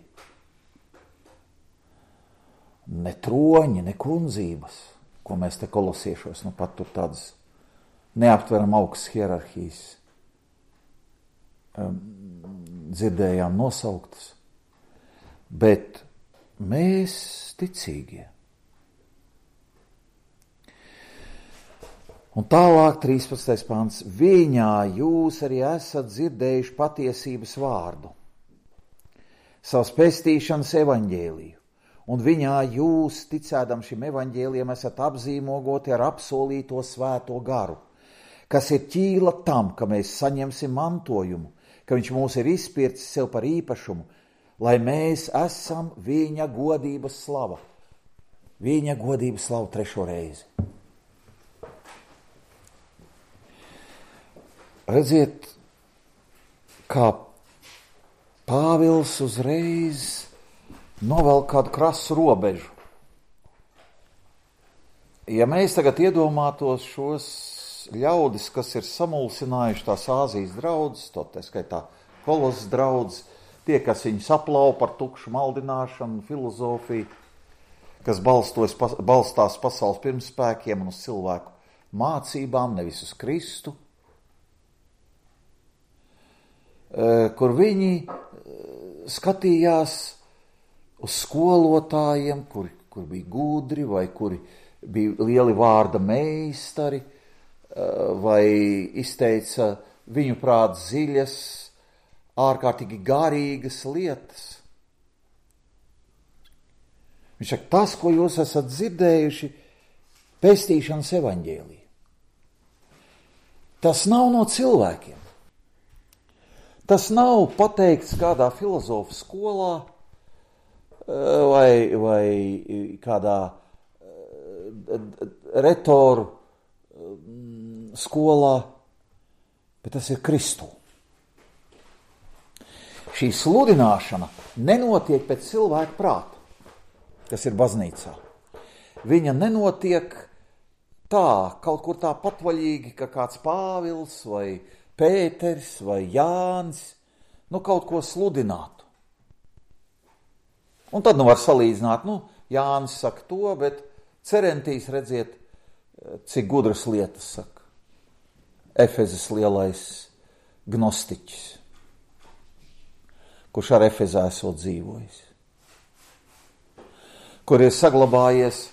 [SPEAKER 1] ne troņi, ne kundzības, ko mēs te kolosiešos, nu pat tur tādas neaptveram augstas hierarhijas dzirdējām nosauktas, bet mēs ticīgie. Un tālāk 13. pants. Viņā jūs arī esat dzirdējuši patiesības vārdu, savas pestīšanas evaņģēliju, un viņā jūs, ticēdam šim evaņģēlijam, esat apzīmogoti ar apsolīto svēto garu, kas ir ķīla tam, ka mēs saņemsim mantojumu, ka viņš mūs ir izpircis sev par īpašumu, lai mēs esam viņa godības slava. Viņa godības slava 3. reizi. Redziet, kā Pāvils uzreiz novelk kādu krasu robežu. Ja mēs tagad iedomātos šos ļaudis, kas ir samulsinājuši tās Āzijas draudzes, tā skaitā Kolosas draudzes, tie, kas viņus aplau par tukšu maldināšanu, filozofiju, kas balstās pasaules pirmspēkiem un uz cilvēku mācībām, nevis uz Kristu, kur viņi skatījās uz skolotājiem, kur bija gudri vai kuri bija lieli vārda meistari, vai izteica viņu prāt dziļas, ārkārtīgi garīgas lietas. Viņš saka, tas, ko jūs esat dzirdējuši, pestīšanas evaņģēlī, tas nav no cilvēkiem. Tas nav pateikts kādā filozofu skolā vai kādā retoru skolā, bet tas ir Kristū. Šī sludināšana nenotiek pēc cilvēka prāta, kas ir baznīcā. Viņa nenotiek tā, kaut kur tā patvaļīgi, ka kāds Pāvils vai Pēters vai Jānis, kaut ko sludinātu. Un tad var salīdzināt, Jānis saka to, bet Cerentīs redziet, cik gudras lietas saka. Efezes lielais gnostiķis, kurš ar Efezā esot dzīvojis, kur ir saglabājies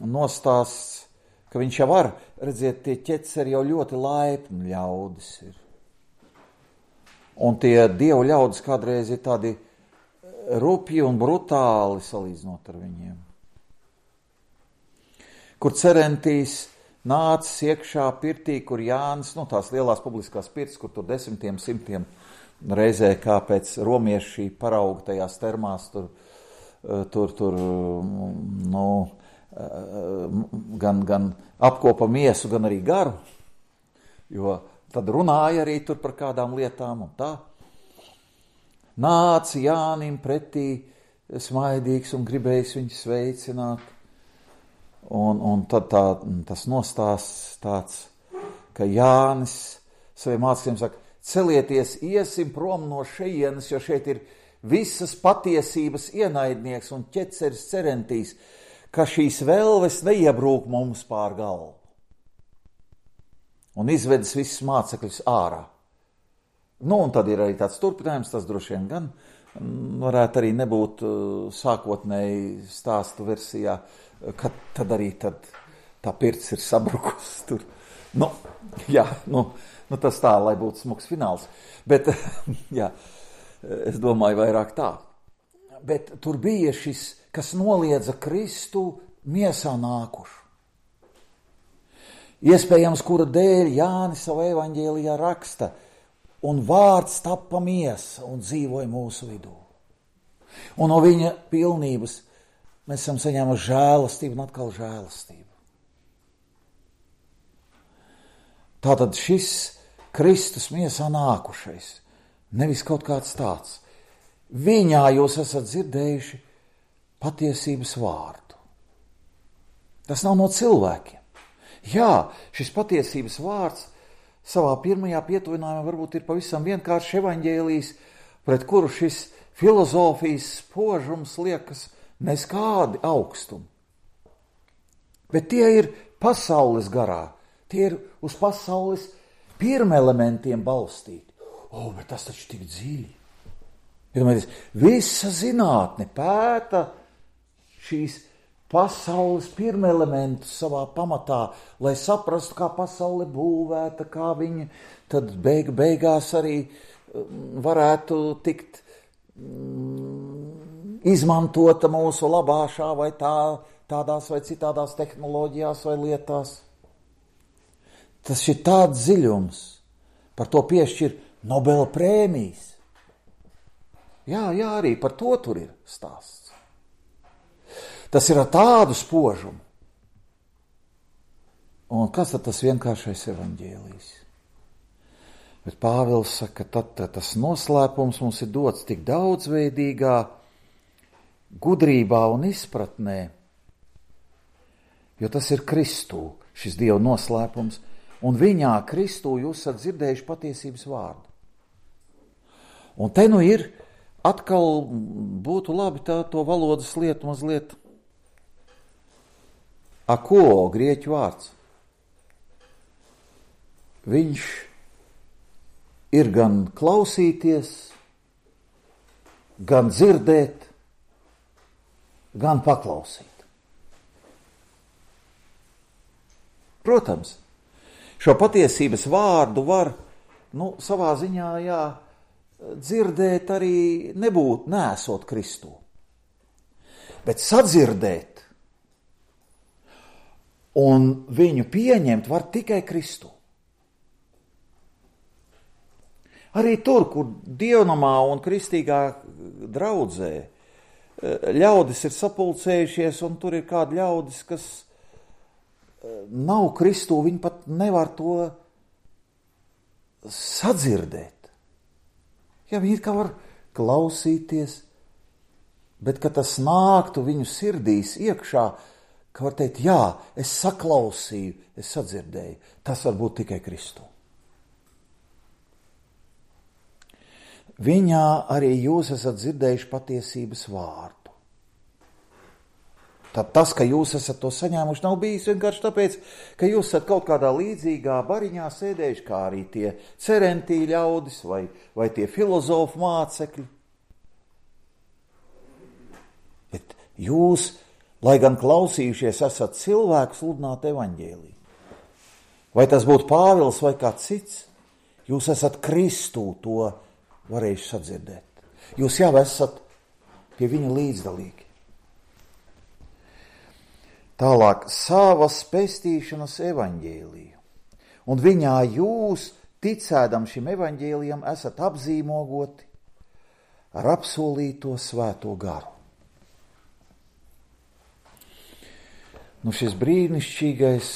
[SPEAKER 1] nostāsts, ka viņš jau var, redziet, tie ķeceri jau ļoti laipni ļaudis ir. Un tie dievu ļaudis kādreiz ir tādi rupji un brutāli salīdzinot ar viņiem. Kur Cerentīs nācis iekšā pirtī, kur Jānis, tās lielās publiskās pirtis, kur tur 10, 100 reizē, kā pēc romieši parauga tajās termās, gan apkopa miesu, gan arī garu, jo tad runāja arī tur par kādām lietām un tā. Nāca Jānim pretī smaidīgs un gribējis viņu sveicināt. Un tad tas nostāsts tāds, ka Jānis saviem mācekļiem saka, celieties, iesim prom no šejienes, jo šeit ir visas patiesības ienaidnieks un ķeceris cerentīs, ka šīs vēlves neiebrūk mums pār galvu. Un izvedis visus mācekļus ārā. Un tad ir arī tāds turpinājums, tas droši vien gan varētu arī nebūt sākotnēji stāstu versijā, kad tad arī tā pirts ir sabrukusi tur. Tas tā, lai būtu smuks fināls. Bet, jā, es domāju vairāk tā. Bet tur bija šis, kas noliedza Kristu miesā nākušu. Iespējams, kura dēļ Jānis savā evaņģēlijā raksta, un vārds tappa miesa un dzīvoja mūsu vidū. Un no viņa pilnības mēs esam saņēmuši žēlastību un atkal žēlastību. Tātad šis Kristus miesā nākušais, nevis kaut kāds tāds. Viņā jūs esat dzirdējuši patiesības vārdu. Tas nav no cilvēkiem. Jā, šis patiesības vārds savā pirmajā pietuvinājumā varbūt ir pavisam vienkārši evaņģēlijs, pret kuru šis filozofijas spožums liekas neskādi augstumi. Bet tie ir pasaules garā, tie ir uz pasaules pirmelementiem balstīti. Bet tas taču tik dziļi. Visa zinātne pēta šīs pasaules pirmelementus savā pamatā, lai saprastu, kā pasaule būvēta, kā viņa tad beigās arī varētu tikt izmantota mūsu labāšā vai tādās vai citādās tehnoloģijās vai lietās. Tas ir tāds dziļums, par to piešķir Nobela prēmijas. Jā, arī par to tur ir stāsts. Tas ir ar tādu spožumu. Un kas tad tas vienkāršais evaņģēlijs? Bet Pāvils saka, tad tas noslēpums mums ir dots tik daudzveidīgā gudrībā un izpratnē, jo tas ir Kristū, šis Dieva noslēpums, un viņā Kristū jūs esat dzirdējuši patiesības vārdu. Un te ir atkal būtu labi to valodas lietu mazliet ako, grieķu vārds. Viņš ir gan klausīties, gan dzirdēt, gan paklausīt. Protams, šo patiesības vārdu var, savā ziņā, dzirdēt arī neesot Kristū. Bet sadzirdēt un viņu pieņemt var tikai Kristū. Arī tur, kur dievnamā un kristīgā draudzē ļaudis ir sapulcējušies, un tur ir kādi ļaudis, kas nav Kristū, viņi pat nevar to sadzirdēt. Ja viņi kā var klausīties, bet kad tas nāktu viņu sirdīs iekšā, ka var teikt, jā, es saklausīju, es sadzirdēju. Tas var būt tikai Kristū. Viņā arī jūs esat dzirdējuši patiesības vārdu. Tad tas, ka jūs esat to saņēmuši, nav bijis vienkārši tāpēc, ka jūs esat kaut kādā līdzīgā bariņā sēdējuši, kā arī tie cerentī ļaudis vai tie filozofu mācekļi. Bet jūs, lai gan klausījušies, esat cilvēku sludināt evaņģēliju. Vai tas būtu Pāvils vai kāds cits, jūs esat Kristū to varējuši sadzirdēt. Jūs jau esat pie viņa līdzdalīgi. Tālāk, savas pestīšanas evaņģēliju. Un viņā jūs, ticēdam šim evaņģēlijam, esat apzīmogoti ar apsolīto svēto garu. Šis brīnišķīgais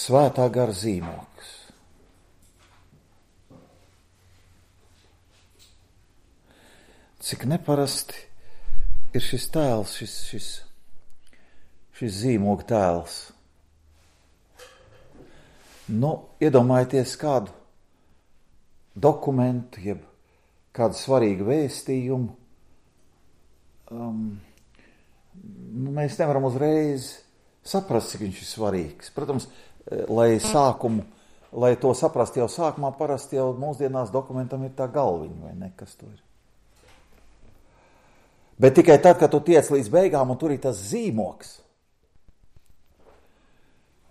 [SPEAKER 1] svētā gara zīmogs. cik neparasti ir šis tēls, šis zīmogu tēls. Nu, iedomājieties kādu dokumentu, jeb kādu svarīgu vēstījumu. Mēs nevaram uzreiz saprast, cik viņš ir svarīgs. Protams, lai to saprast jau sākumā, parasti jau mūsdienās dokumentam ir tā galviņa, vai ne, kas to ir. Bet tikai tad, kad tu tiec līdz beigām un tur ir tas zīmogs,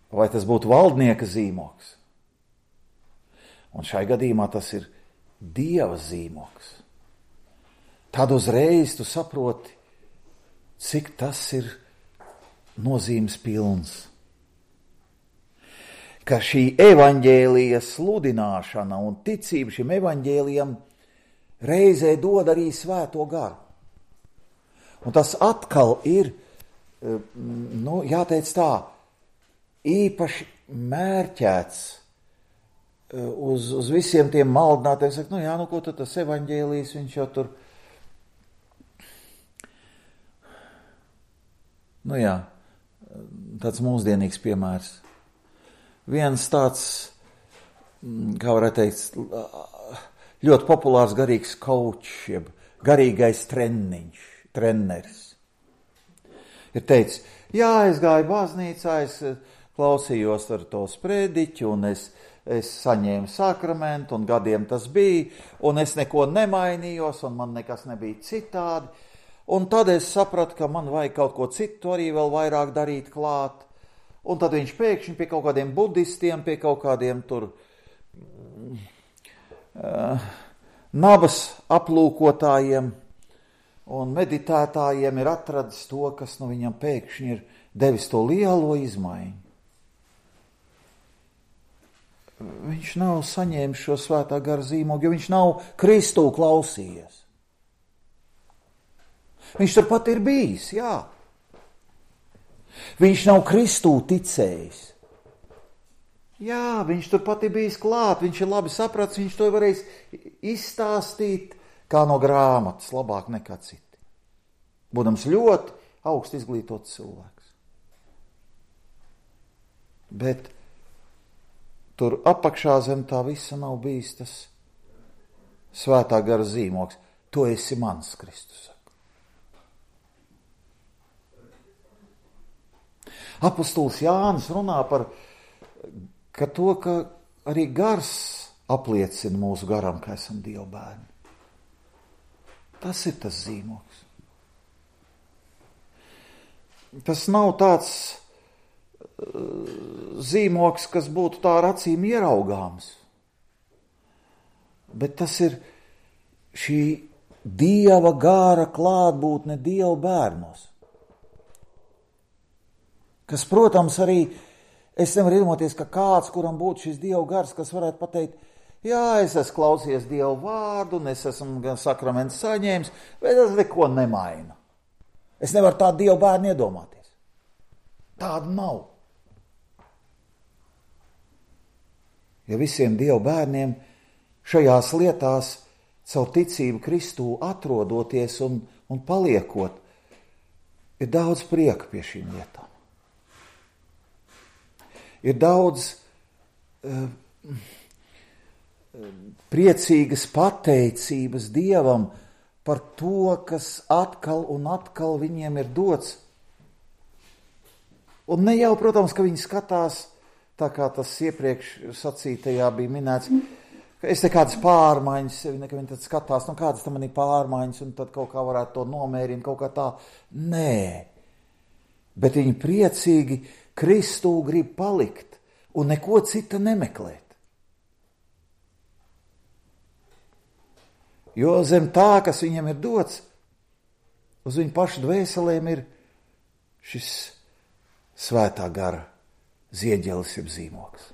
[SPEAKER 1] vai tas būtu valdnieka zīmogs, un šai gadījumā tas ir Dieva zīmogs, tad uzreiz tu saproti, cik tas ir nozīmes pilns. Ka šī evaņģēlija sludināšana un ticība šim evaņģēlijam reizē dod arī Svēto garu. Un tas atkal ir, jāteic tā, īpaši mērķēts uz visiem tiem maldinātiem. Saka, ko tad tas evaņģēlijs, viņš jau tur... Tāds mūsdienīgs piemērs. Viens tāds, kā varētu teikt, ļoti populārs garīgs kaučs, jeb garīgais treneris. Ir teicis, es gāju baznīcā, es klausījos ar to sprediķu, un es saņēmu sakramentu, un gadiem tas bija, un es neko nemainījos, un man nekas nebija citādi. Un tad es sapratu, ka man vajag kaut ko citu arī vēl vairāk darīt klāt. Un tad viņš pēkšņi pie kaut kādiem budistiem, pie kaut kādiem tur nabas aplūkotājiem un meditētājiem ir atradis to, kas viņam pēkšņi ir devis to lielo izmaiņu. Viņš nav saņēmis šo Svētā gara zīmogu, jo viņš nav Kristū klausījies. Viņš turpat ir bijis, jā. Viņš nav Kristū ticējis. Jā, viņš turpat ir bijis klāt, viņš ir labi sapratis, viņš to varēs izstāstīt kā no grāmatas, labāk nekā citi. Būdams ļoti augsti izglītots cilvēks. Bet tur apakšā zem tā visa nav bijis tas Svētā gara zīmogs. Tu esi mans, Kristus saka. Apostols Jānis runā par ka arī gars apliecina mūsu garam, ka esam Dieva bērni. Tas ir tas zīmogs. Tas nav tāds zīmogs, kas būtu tā ar acīm ieraugāms, bet tas ir šī Dieva gara klātbūtne Dieva bērnos. Kas, protams, arī es nevaru iedomāties, ka kāds, kuram būtu šis Dieva gars, kas varētu pateikt, jā, es esmu klausies Dieva vārdu, un es esmu gan sakramentu saņēmis, bet es neko nemainu. Es nevaru tādu Dieva bērnu iedomāties. Tāda nav. Ja visiem Dieva bērniem šajās lietās caur ticību Kristū atrodoties un paliekot, ir daudz prieka pie šīm lietām. Ir daudz priecīgas pateicības Dievam par to, kas atkal un atkal viņiem ir dots. Un ne jau, protams, ka viņi skatās, tā kā tas iepriekš sacītajā bija minēts, ka es te kādas pārmaiņas, ka viņi tad skatās, kādas tam man ir pārmaiņas, un tad kaut kā varētu to nomērīt, kaut kā tā. Nē, bet viņi priecīgi Kristū grib palikt un neko cita nemeklēt. Jo zem tā, kas viņam ir dots, uz viņu pašu dvēselēm ir šis Svētā gara zieģelis jeb zīmogs.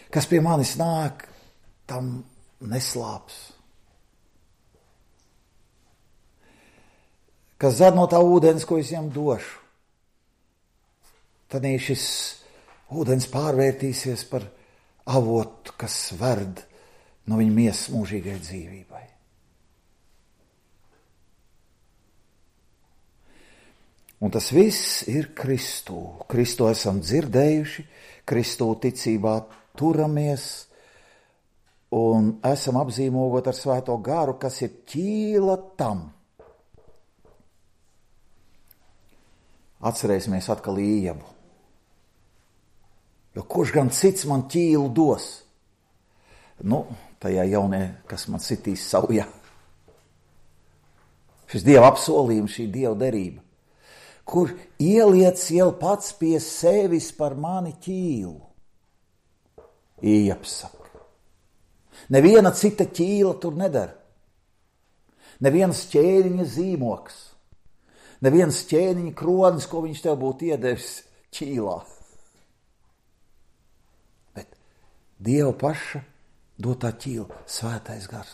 [SPEAKER 1] Kas pie manis nāk, tam neslāps. Kas dzer no tā ūdens, ko es viņam došu, tad šis ūdens pārvērtīsies par avotu, kas verd no viņa miesas mūžīgai dzīvībai. Un tas viss ir Kristū. Kristu esam dzirdējuši, Kristū ticībā turamies un esam apzīmogot ar Svēto garu, kas ir ķīla tam. Atcerēsimies atkal Ievu. Jo kurš gan cits man ķīlu dos? Tajā jaunie, kas man sitīs saujā. Šis Dieva apsolījums, šī Dieva derība, kur ieliec jau pats pie sevis par mani ķīlu. Ieps saka. Neviena cita ķīla tur nedara. Neviens ķēniņa zīmoks. Neviens ķēniņa kronis, ko viņš tev būtu iedevis ķīlā. Bet Dieva paša dotā ķīla, Svētais gars.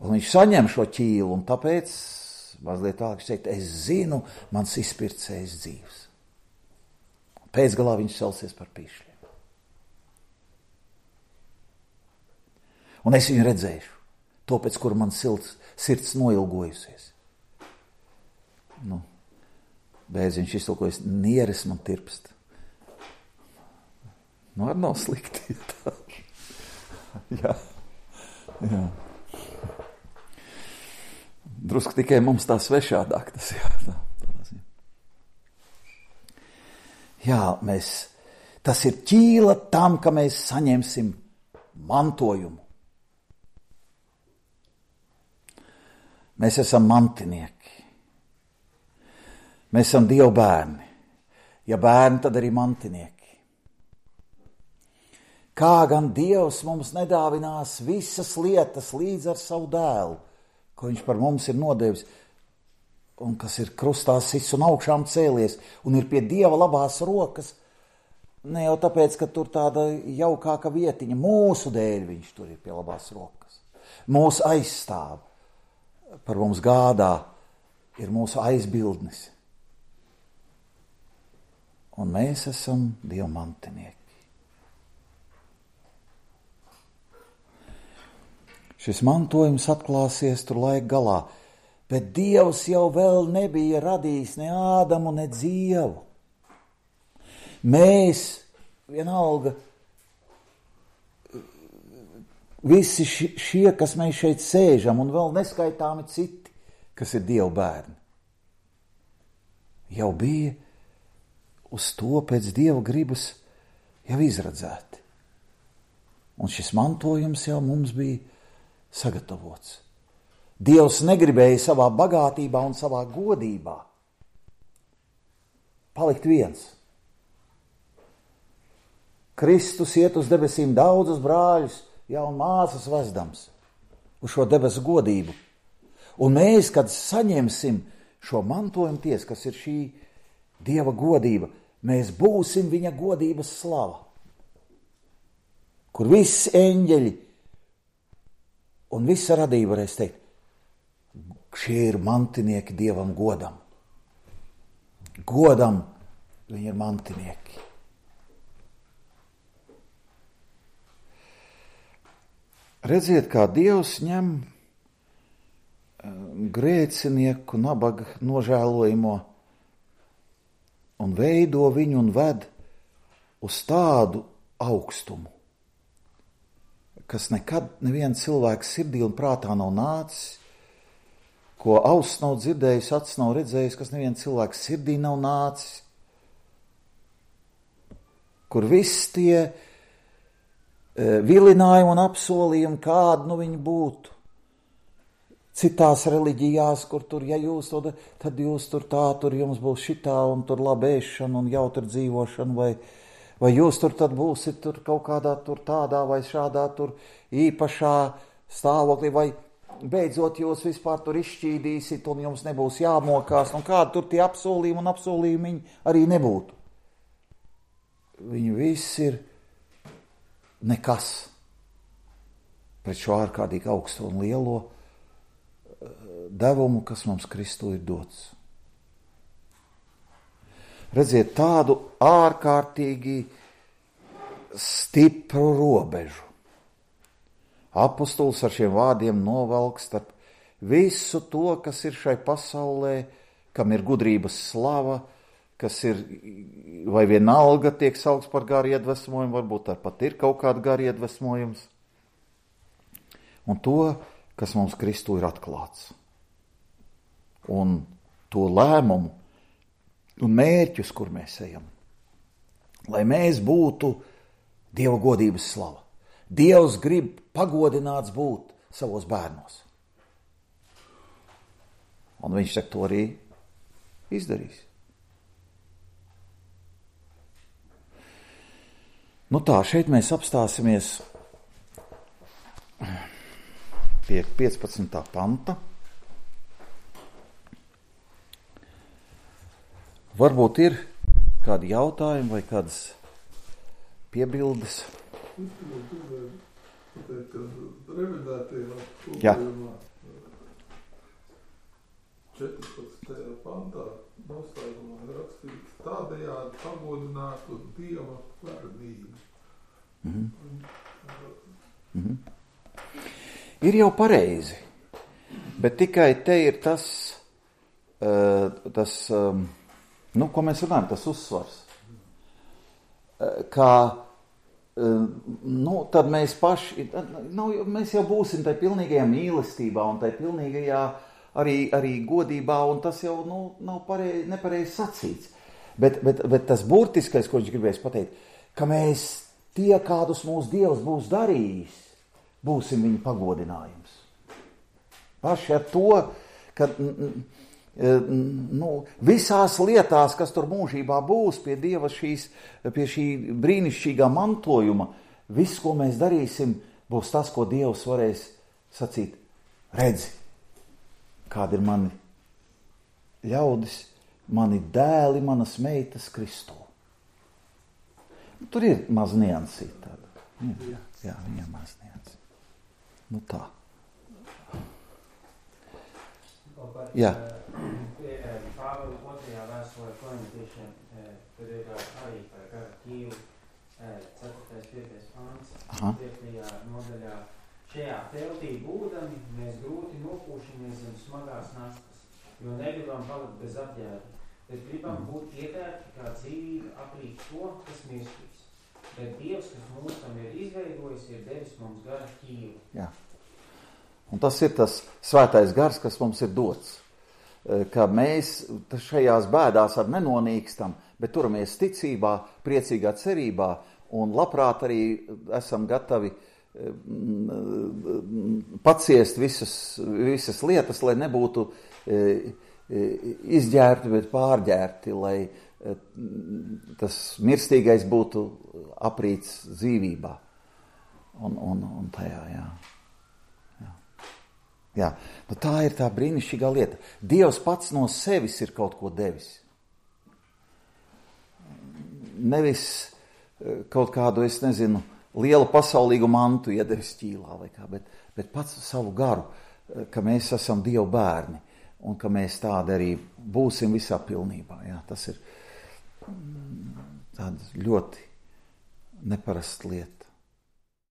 [SPEAKER 1] Un viņš saņem šo ķīlu, un tāpēc mazliet tālāk viņš teikt, es zinu, mans izpircējs dzīvs. Pēcgalā viņš celsies par pīšļiem. Un es viņu redzēšu, to pēc kura man sirds noilgojusies. Bēziņš iztulkojas, nieres man tirpst. Ar nav slikti. Jā. Drusku tikai mums tā svešādāk tas tas ir ķīla tam, ka mēs saņemsim mantojumu. Mēs esam mantinieki. Mēs esam Dieva bērni. Ja bērni, tad arī mantinieki. Kā gan Dievs mums nedāvinās visas lietas līdz ar savu dēlu, ko viņš par mums ir nodevis, un kas ir krustā sits un augšām cēlies, un ir pie Dieva labās rokas, ne jau tāpēc, ka tur tāda jaukāka vietiņa, mūsu dēļ viņš tur ir pie labās rokas. Mūsu aizstāv, par mums gādā, ir mūsu aizbildnis. Un mēs esam Dieva mantinieki. Šis mantojums atklāsies tur laika galā, bet Dievs jau vēl nebija radījis ne Ādamu, ne Dzievu. Mēs, vienalga, visi šie, kas mēs šeit sēžam, un vēl neskaitāmi citi, kas ir Dieva bērni, jau bija uz to pēc Dieva gribas jau izredzēti. Un šis mantojums jau mums bija sagatavots. Dievs negribēja savā bagātībā un savā godībā palikt viens. Kristus iet uz debesīm daudzus brāļus, un māsas vezdams uz šo debesu godību. Un mēs, kad saņemsim šo mantojumu ties, kas ir šī Dieva godība, mēs būsim viņa godības slava, kur visi eņģeļi un visa radība varēs teikt, šie ir mantinieki Dievam godam. Godam viņi ir mantinieki. Redziet, kā Dievs ņem grēcinieku, nabaga nožēlojamo un veido viņu un ved uz tādu augstumu, kas nekad neviena cilvēka sirdī un prātā nav nācis, ko auss nav dzirdējis, acis nav redzējis, kas neviena cilvēka sirdī nav nācis, kur viss tie vilinājumi un apsolījumi, kādi viņi būtu. Citās reliģijās, kur tur, ja jūs to, tad jūs tur tā, tur jums būs šitā un tur laba ēšana un jautra dzīvošana, vai jūs tur tad būsit tur kaut kādā tur tādā vai šādā tur īpašā stāvoklī, vai beidzot jūs vispār tur izšķīdīsit un jums nebūs jāmokās, un kādi tur tie apsolījumi un apsolījumi arī nebūtu. Viņi visi ir nekas pret šo ārkārtīgi augsto un lielo devumu, kas mums Kristū ir dots. Redziet, tādu ārkārtīgi stipru robežu. Apostols ar šiem vārdiem novelk starp visu to, kas ir šai pasaulē, kam ir gudrības slava, kas ir, vai vienalga tiek saukts par garu iedvesmojumu, varbūt tāpat ir kaut kāda gara iedvesmojums, un to, kas mums Kristū ir atklāts. Un to lēmumu un mērķus, kur mēs ejam. Lai mēs būtu Dieva godības slava. Dievs grib pagodināts būt savos bērnos. Un viņš to arī izdarīs. Nu tā, šeit mēs apstāsimies pie 15. panta. Varbūt ir kādi jautājumi vai kādas piebildes? Jā.
[SPEAKER 2] 14. pantā noslēgumā rakstīts tādējādi pagodinātu Dieva vardību.
[SPEAKER 1] Ir jau pareizi, bet tikai te ir tas ko mēs runājam, tas uzsvars, ka tad mēs paši, mēs jau būsim tai pilnīgajā mīlestībā un tai pilnīgajā arī godībā, un tas jau nav nepareizi sacīts. Bet tas burtiskais, ko viņš gribēs pateikt, ka mēs tie, kādus mūsu Dievs būs darījis, būsim viņa pagodinājums. Paši ar to, ka visās lietās, kas tur mūžībā būs pie Dieva pie šī brīnišķīgā mantojuma, viss, ko mēs darīsim, būs tas, ko Dievs varēs sacīt. Redzi, kādi ir mani ļaudis, mani dēli, manas meitas Kristū. Tur ir maz niansīt tāda. Jā, viņam maz niansīt. Tā. Jā.
[SPEAKER 3] Pāvila 2. vēstulē korintiešiem, tur ir arī par gara ķīlu 4.5. pāns, 5. nodaļā. Šajā teltī būdami mēs grūti nopūšamies zem smagās nastas, jo negribam palikt bez apģērba, bet gribam būt ietērti kā dzīvība aprīt to, kas mirstīs. Bet Dievs, kas mūs tam ir izveidojis, ir devis mums gara ķīlu.
[SPEAKER 1] Jā. Un tas ir tas svētais gars, kas mums ir dots. Ka mēs šajās bēdās ar nenonīkstam, bet turamies ticībā, priecīgā cerībā un labprāt arī esam gatavi paciest visas lietas, lai nebūtu izģērti, bet pārģērti, lai tas mirstīgais būtu aprīts dzīvībā. Un tajā, jā. Jā, tā ir tā brīnišķīgā lieta. Dievs pats no sevis ir kaut ko devis. Nevis kaut kādu, es nezinu, lielu pasaulīgu mantu iedevis ķīlā vai kā, bet pats savu garu, ka mēs esam Dieva bērni un ka mēs tādi arī būsim visā pilnībā. Jā, tas ir tāda ļoti neparasta lieta.